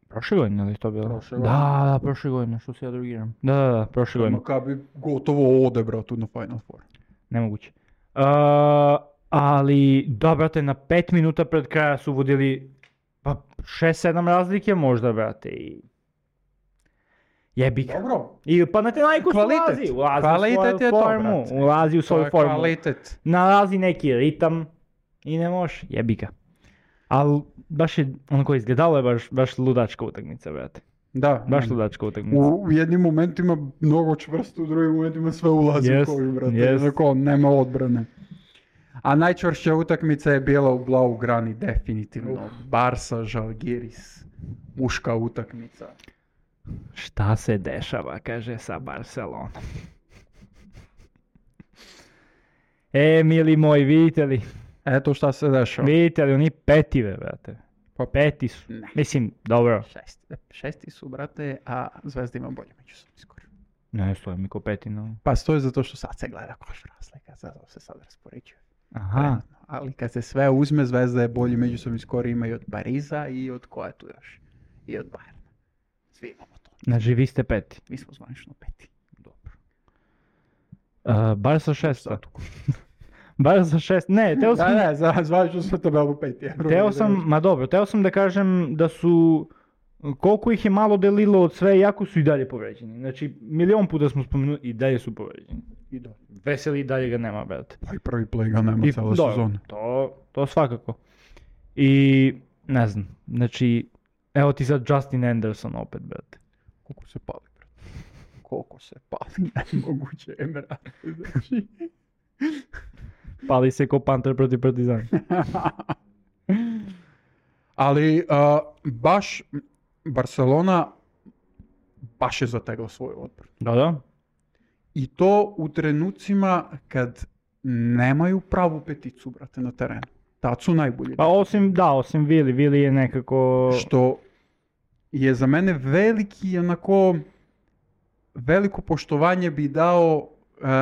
Prošle godine, ali to bilo? Prošle godine. Da, prošle godine, što se ja drugiram. Da, prošle godine. Makabi gotovo ode, brate, na Final Four. Nemoguće. Ali, da, brate, na 5 minuta pred kraja su vodili pa 6-7 razlike možda, brate, i... Jebik. Dobro. I Panathinaikos ulazi u svoju formu. Kvalitet. Nalazi neki ritam i ne može, jebika. Ali baš je, onako izgledalo je baš ludačka utakmica, brate. Da. Baš ludačka utakmica. U jednim momentima mnogo čvrsto, u drugim momentima sve ulazi u koš, brate. Onako, nema odbrane. A najčvršća utakmica je bila u Blaugrani, definitivno. Barsa, Žalgiris, muška utakmica. Šta se dešava, kaže, sa Barcelonom? Mili moji, vidite li? Eto šta se dešava. Vidite li, oni petive, brate. Pa peti su. Ne. Mislim, dobro. Šesti su, brate, a Zvezda ima bolje međusobno skoro. Ne, stoji mi ko peti, no. Pa stoji zato što sad se gleda koš razlika, zato se sad raspoređuje. Aha. Ali kad se sve uzme, Zvezda je bolji međusobni skor, ima i od Pariza i od koja tu još? I od Bayerna. Svi imamo to. Znači, vi ste peti. Mi smo zvanično peti. Dobro. Barca šesta. Barca šest. Ne, teo sam... Ne, zvanično smo tabelu peti. Teo sam da kažem da su... Koliko ih je malo delilo od sve, jako su i dalje povređeni. Znači, milion puta smo spomenuli i dalje su povređeni. I dalje. Veseli i dalje ga nema, brate. Pa i prvi play ga nema cijela sezona. To svakako. I, ne znam, znači, evo ti sad Justin Anderson opet, brate. Koliko se pali, nemoguće je, brate. Znači... Pali se ko Panter protiv Partizana. Ali, baš Barcelona baš je zategla svoj odbor. Da. I to u trenucima kad nemaju pravu peticu, brate, na terenu. Tad su najbolji. Pa osim Vili je nekako... Što je za mene veliko poštovanje bi dao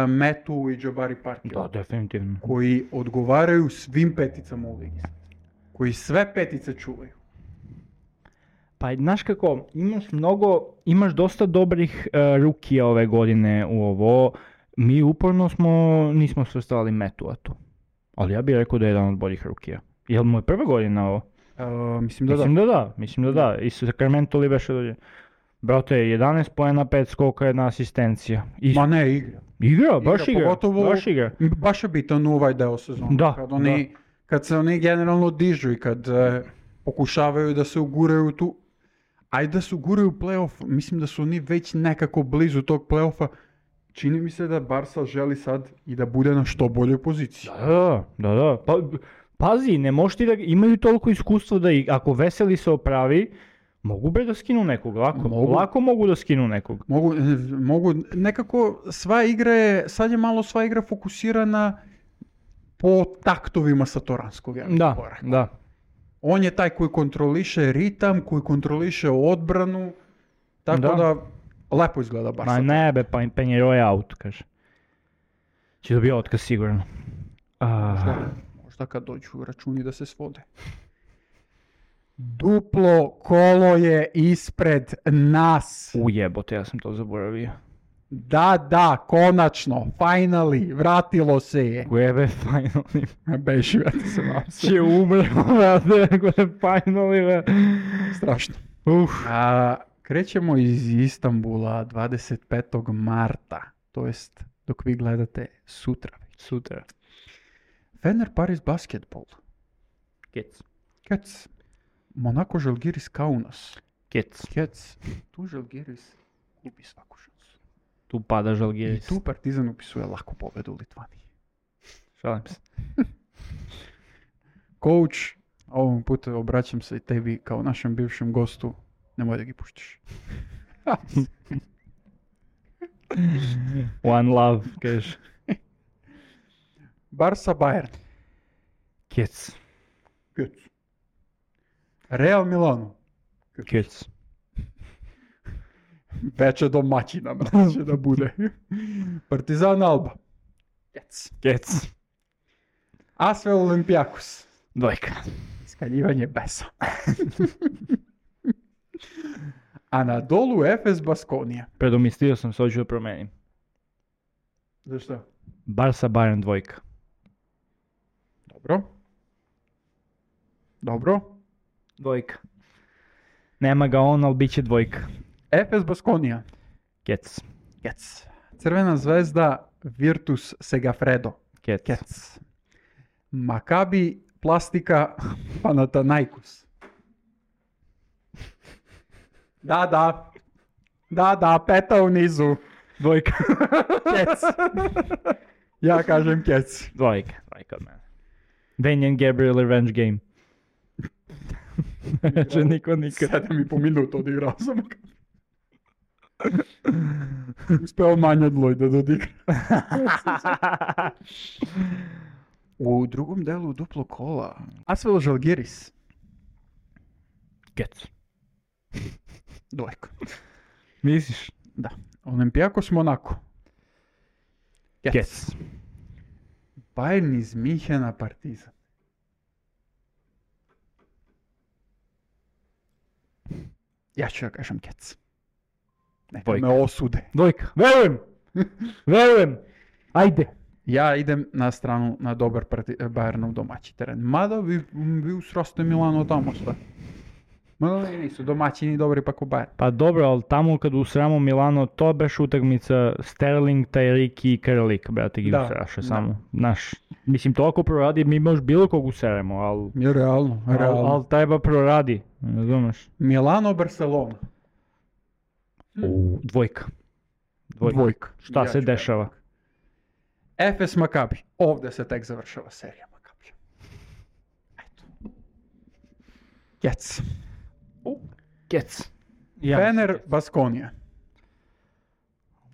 Metu i Jabari Parkeru. Da, definitivno. Koji odgovaraju svim peticama u ligi. Koji sve petice čuvaju. Pa znaš kako, imaš dosta dobrih rukija ove godine u ovo. Mi uporno nismo svrstavali Metuatu. Ali ja bih rekao da je jedan od boljih rukija. Jel mu je prva godina ovo? Mislim da Mislim da da. I Sacramento li beše dođe. Brate, 11 poena, 5 skoka, 1 asistencija. Ma ne, igra. Igra, baš igra. Pogotovo, baš igra. Baš je bitan u ovaj deo sezona. Da, Kad se oni generalno dižu i kad pokušavaju da se uguraju tu, ajde da se uguraju u playoff, mislim da su oni već nekako blizu tog playoffa. Čini mi se da Barca želi sad i da bude na što boljoj poziciji. Da. Pa, pazi, ne možeš ti da imaju toliko iskustva da ako Veseli se opravi, mogu da skinu nekog, lako mogu da skinu nekog. Mogu, nekako sad je malo sva igra fokusirana po taktovima Satoranskog. Da. On je taj koji kontroliše ritam, koji kontroliše odbranu, tako da lepo izgleda Barca. Ma ne pa Penjero je out, kaže. Će dobiti otkaz sigurno. Možda kad dođu računi da se svode. Duplo kolo je ispred nas. Ujebote, ja sam to zaboravio. Da, konačno, finally, vratilo se je. Ujebe, finally. Beži, vrati se vam se. Će umremo, vrate, finally, strašno. Krećemo iz Istanbula 25. marta, to jest dok vi gledate sutra. Fener Paris basketbol. Kec. Monako Žalgiris Kaunas. Kec. Tu Žalgiris gubi svaku šansu. Tu pada Žalgiris. I tu Partizan upisuje lako pobedu u Litvaniji. Šalim se. Coach, ovom putu obraćam se i tebi kao našem bivšem gostu. Nemoj da gi puštiš. One love, kažeš. Barca Bayern. Kec. Real Milano. Kec. Veče domaćina će da bude. Partizan Alba. Kec. Asvel Olympiakos. Dvojka. Skaljivanje besa. A na dolu Efes Baskonija. Predomislio sam se, hoću da promenim. Zašto? Barca Bayern dvojka. Dobro. Dvojka. Nema ga on, ali bit će dvojka. Efes Baskonija. Kec. Crvena zvezda Virtus Segafredo. Kec. Maccabi Plastika Panathinaikos. Da, peta u nizu. Dvojka. Kec. Ja kažem kec. Dvojka od mene. Damian Gabriel Revenge Game. Neće niko nikad. 7,5 minuta odigrao sam. Uspeo manje od Lloyda da odigra. U drugom delu duplo kola. Asvel Žalgiris. Kec. Dvojka. Misliš? Da. Olympiakos Monako. Kec. Bayern iz Minhena Partizan. Ja ću da kažem kec. Neka me osude. Dvojka. Verujem. Ajde. Ja idem na stranu na dobar Bayernov domaći teren. Mada vi usraste Milano tamo sve. Nisu domaćini dobri pa ko Bayern. Pa dobro, ali tamo kad usramo Milano, to beš utakmica Sterling, Tajriki i Karlik, brate, gi usraše samo. Mislim, to ako proradi, mi možeš bilo kog usremo, ali... Realno. Ali treba proradi, razumeš? Milano, Barcelona. Dvojka. Šta se dešava? Efes Maccabi. Ovdje se tek završava serija Maccabi. Eto. Kec. Fener Baskonija.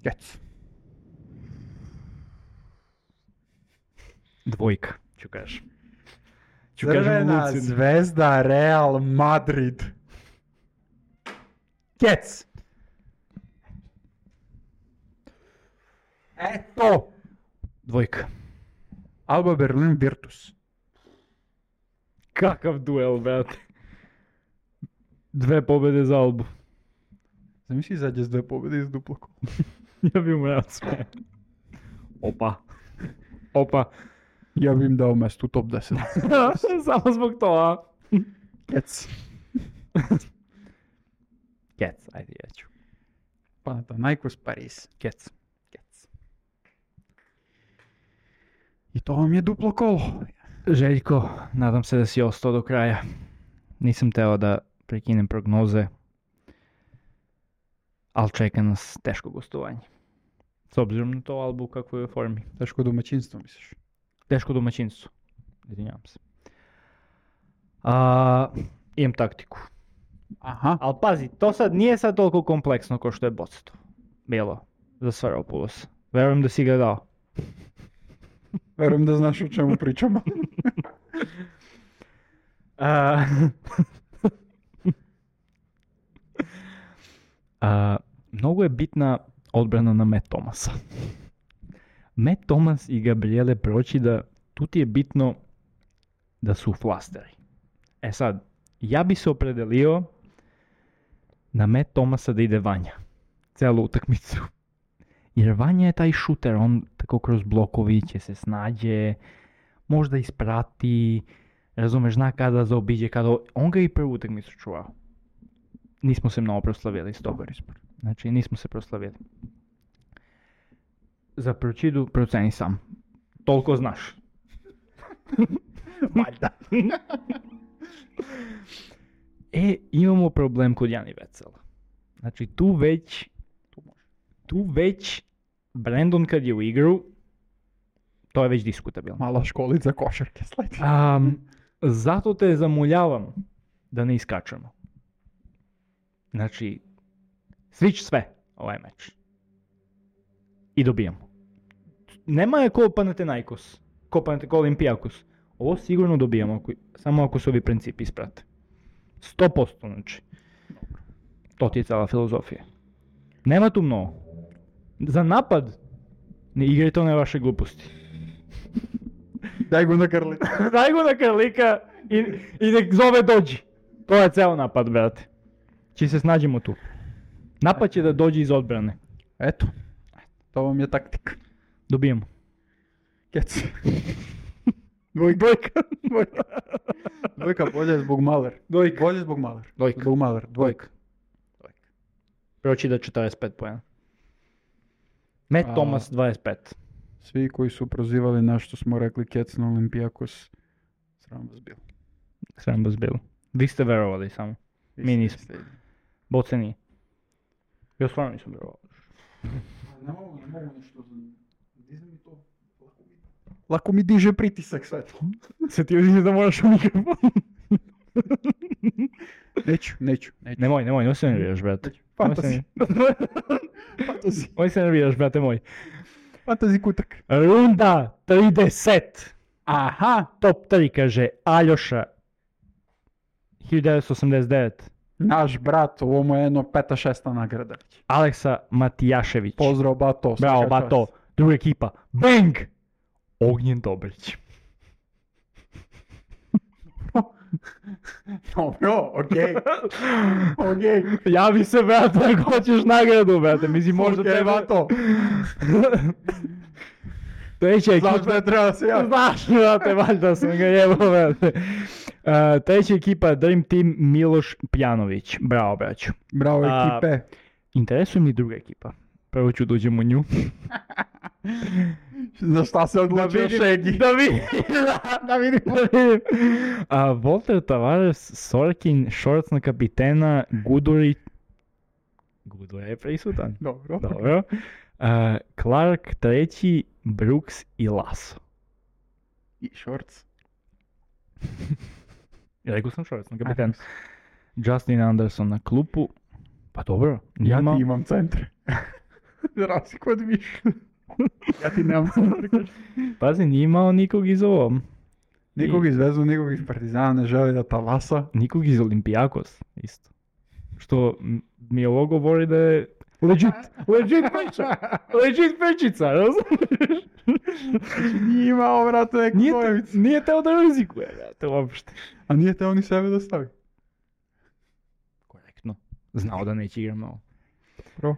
Kec. Dvojka, ću kažem. Crvena zvezda Real Madrid. Kec. Eto. Dvojka. Alba Berlin Virtus. Kakav duel, brate. 2 pobjede za Albu. Zamisli izađe s 2 pobjede iz duplo kola. Ja bi mu rad sve. Opa. Ja bi im dao mesto u top 10. Samo zbog toga. Kec. Kec, ajde ja ću. Panathinaikos Paris. Kec. I to vam je duplo kolo. Željko, nadam se da si ostao do kraja. Nisam teo da prekinem prognoze, ali čeka nas teško gostovanje. S obzirom na to Albu kako je u formi. Teško domaćinstvo, misliš? Teško domaćinstvo. Izvinjavam se. Imam taktiku. Aha. Ali pazi, to sad nije sad toliko kompleksno kao što je Bocetov bilo za Sfairopoulos. Verujem da si ga dao. Verujem da znaš o čemu pričamo. Mnogo je bitna odbrana na Matt Thomasa. Matt Thomas i Gabriele Procida, tu ti je bitno da su flasteri. E sad, ja bi se opredelio na Matt Thomasa da ide Vanja. Celu utakmicu. Jer Vanja je taj šuter, on tako kroz blokovi će se snađe, možda isprati, razumeš, zna kada zaobiđe, kada... On ga i prvu utakmicu čuvao. Nismo se mnogo proslavili s toga. Znači, nismo se proslavili. Za Procidu proceni sam. Toliko znaš. Valjda. Imamo problem kod Jani Vecela. Znači, tu već Brandon kad je u igru, to je već diskutabilno. Mala školica košarke sledi. Zato te zamoljavam da ne iskačemo. Znači, switch sve ovaj meč. I dobijamo. Nema je ko Panathinaikos, ko Olympiakos. Ovo sigurno dobijamo, samo ako se ovi principi isprate. 100%, znači. To ti je cijela filozofija. Nema tu mnogo. Za napad, ne igrajte one vaše gluposti. Daj go na Karlika. Daj go na Karlika i nek zove dođi. To je ceo napad, brate. Či se snađemo tu. Napad će da dođe iz odbrane. Eto. To vam je taktika. Dobijemo. Kec. Dvojka. Dvojka bolje zbog Maler. Bolje zbog Maler. Zbog Maler. Dvojka. Procida 45 poena. Matt Thomas 25. Svi koji su prozivali na što smo rekli Kec na Olympiakos, sram vas bilo. Vi ste verovali samo. Mi nismo. Boce nije. Ja stvarno nisam verovali. Ne mogu nešto. Diže mi to. Lako mi diže pritisak sve to. Se ti uzim da moraš u mikrofon. Neću. Nemoj se nerviraš, brate. Fantasy. Moj se nerviraš, brate moj. Fantasy kutak. Runda 30. Aha. Top 3 kaže Aljoša. 1989. Naš brat, ovo mu je jedno 5-6 nagrada. Aleksa Matijašević. Pozdrav, Bato. Bravo, Bato. Druga ekipa. Bang! Ognjen Dobrić. Dobro, okej. Javi se, brate, ako hoćeš nagradu, brate. Mislim, možda tebe... Bato. Treća ekipa... Znaš da je treba se javi. Znaš, brate, valjda sam ga jebao, brate. Treća ekipa, Dream Team, Miloš Pjanović. Bravo, braću. Bravo, ekipe. Interesuje mi druga ekipa. Prvo ću da uđem u nju. Za šta se odlučio Šegi? Da vidim. Walter Tavares, Sorkin, Shorts na kapitena, Gudurić. Gudura je prisutan. Dobro. Clark treći, Brooks i Lasso. I Shorts. Ja rekao sam Shorts na kapitena. Justin Anderson na klupu. Pa dobro. Ja ti imam centre. Za razliku od više. Ja ti nemam centre. Pazi, nije imao nikog iz ovom. Nikog iz Vezu, nikog iz Partizana ne želi da talasa. Nikog iz Olympiakos, isto. Što mi ovo govori da je legit priča. Legit pričica, razumiješ? Nije imao, vrate, neku svojevicu. Nije teo da rizikuje, vrate, uopšte. A nije teo ni sebe da stavi. znao da neće igra mnogo. Pro.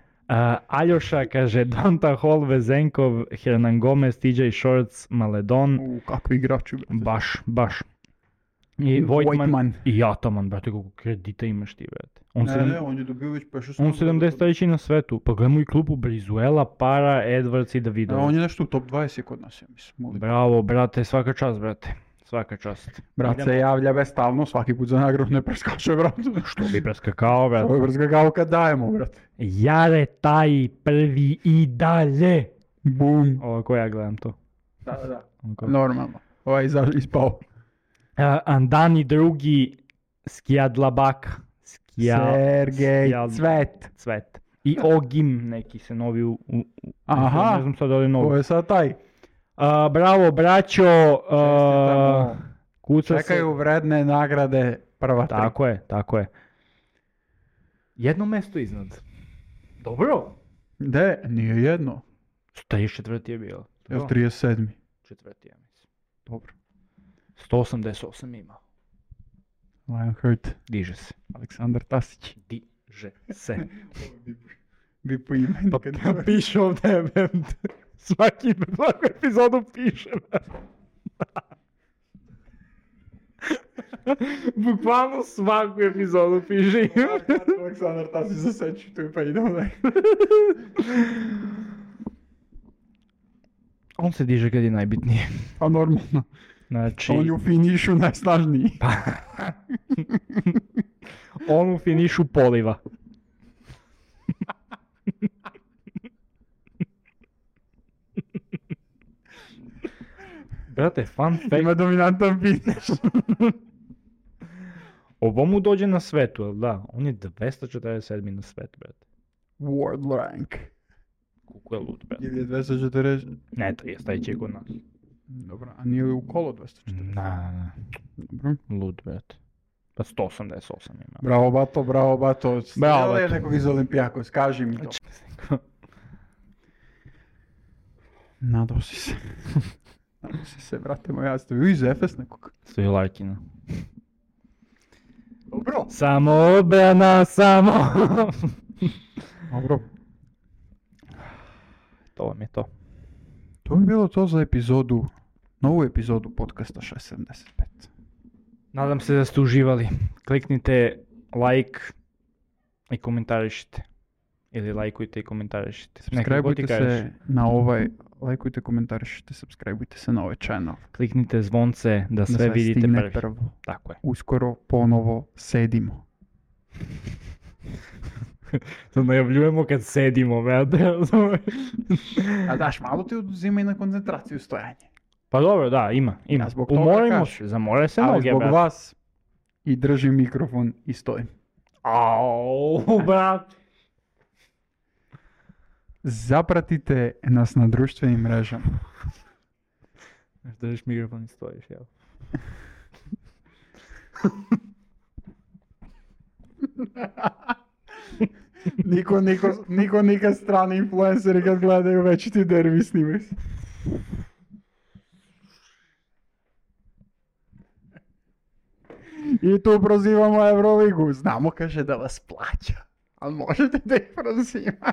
Aljoša kaže Donta Hall, Vezenkov, Hernan Gomez, TJ Shorts, Maledon. Kakvi igrači, brate. Baš. I Voigtman i Ataman, brate, koliko kredita imaš ti, brate. On je dobio već 5-6. On 73 na svetu, pa gledamo i klubu Brizuela, Para, Edwards i Davidović. On je nešto u top 20 kod nas, ja mislim. Bravo, brate, svaka čast, brate. Svaka čast. Brat se javlja bestalno, svaki put za nagradu ne preskače, brate. Što bi preskakao, brate? Što bi preskakao kad dajemo, brate. Jare taj prvi i dalje. Bum. Ovo ko ja gledam to. Da. Normalno. Ovaj ispao. Andani drugi, Skijadlabak. Sergej Cvet. I Ogim, neki se novi Aha, ne znam sad da li novi. ko je sad taj? Bravo, braćo. Čekaju vredne nagrade prva tri. Tako je. Jedno mesto iznad. Dobro. De, nije jedno. 34 je bilo. Jel 37. Četvrti, ja mislim. Dobro. 188 ima. Lionheart. Diže se. Aleksandar Tasić. Diže se. Bi po imenu. Pa piše ovdje, svaku epizodu piše. Bukvalno svaku epizodu piše. Aleksandar Tasić zaseći tu pa idemo da. On se diže kad je najbitnije. Pa normalno. Znači... On je u finišu najsnažniji. On u finišu poliva. Brate, fun fact... Ima dominantan finiš. Ovo mu dođe na svetu, ali da, on je 247 na svetu, brate. World rank. Kako je lud, brate. Ili je 240? Ne, to je stajeći kod nas. Dobro, a nije li u kolo 240? Ne. Dobro. Lud, brate. Pa 188 ima. Bravo, bato. Bravo, Bato. Nekog iz Olimpijakos, kaži mi to. Nadao si se. Nadao si se, brate moj, ja ste vi iz Efes nekog. Stoji Larkina. Dobro. Samo obrana, samo. Dobro. To vam je to. To bi bilo to za epizodu, novu epizodu podcasta 675. Nadam se da ste uživali. Kliknite like i komentarišite. Ili lajkujte i komentarišite. Subscribeujte se na ovaj, lajkujte, komentarišite, subscribeujte se na ovaj channel. Kliknite zvonce da sve vidite prvo. Tako je. Uskoro ponovo sedimo. To najavljujemo kad sedimo, brate. A daš, malo ti oduzima i na koncentraciju stojanje. Pa dobro, da, ima. Ja zbog toga Umorimo se, zamore se noge, ali zbog brate. vas i držim mikrofon i stojim. Au, brate. Zapratite nas na društvenim mrežama. Držiš mikrofon i stojiš, jel? Niko nikad strani influenceri kad gledaju već ti derbi snimaju se. I tu prozivamo Euroligu. Znamo, kaže, da vas plaća. Ali možete da ih prozivate.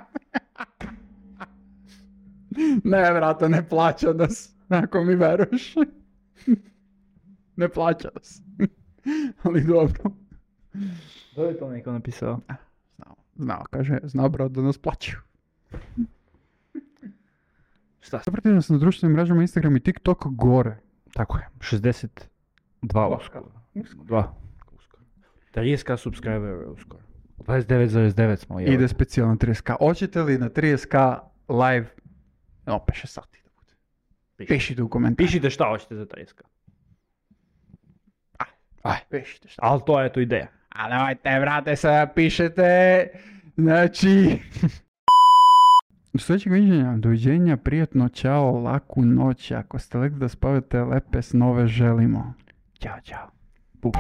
Ne, brate, ne plaća nas. Ako mi veruješ. Ne plaća nas. Ali dobro. Da je to neko napisao? Znao, kaže, zna brat da nas plaćaju. Šta? Zapratite nas na društvenim mrežama Instagram i TikTok gore. Tako je, 62 uskoro. 30k subscribera uskoro. 29,9 smo. Jel? Ide specijalno 30k. Hoćete li na 30k live? No, 5-6 sati da bude. Pišite u komentar. Pišite šta hoćete za 30k. Pišite šta. Ali to je to ideja. A nemojte, brate, sada pišete. Znači... Do sljedećeg viđenja, doviđenja, prijatno, čao, laku noć. Ako ste legli da spavate, lepe snove želimo. Ćao, čao. Puk.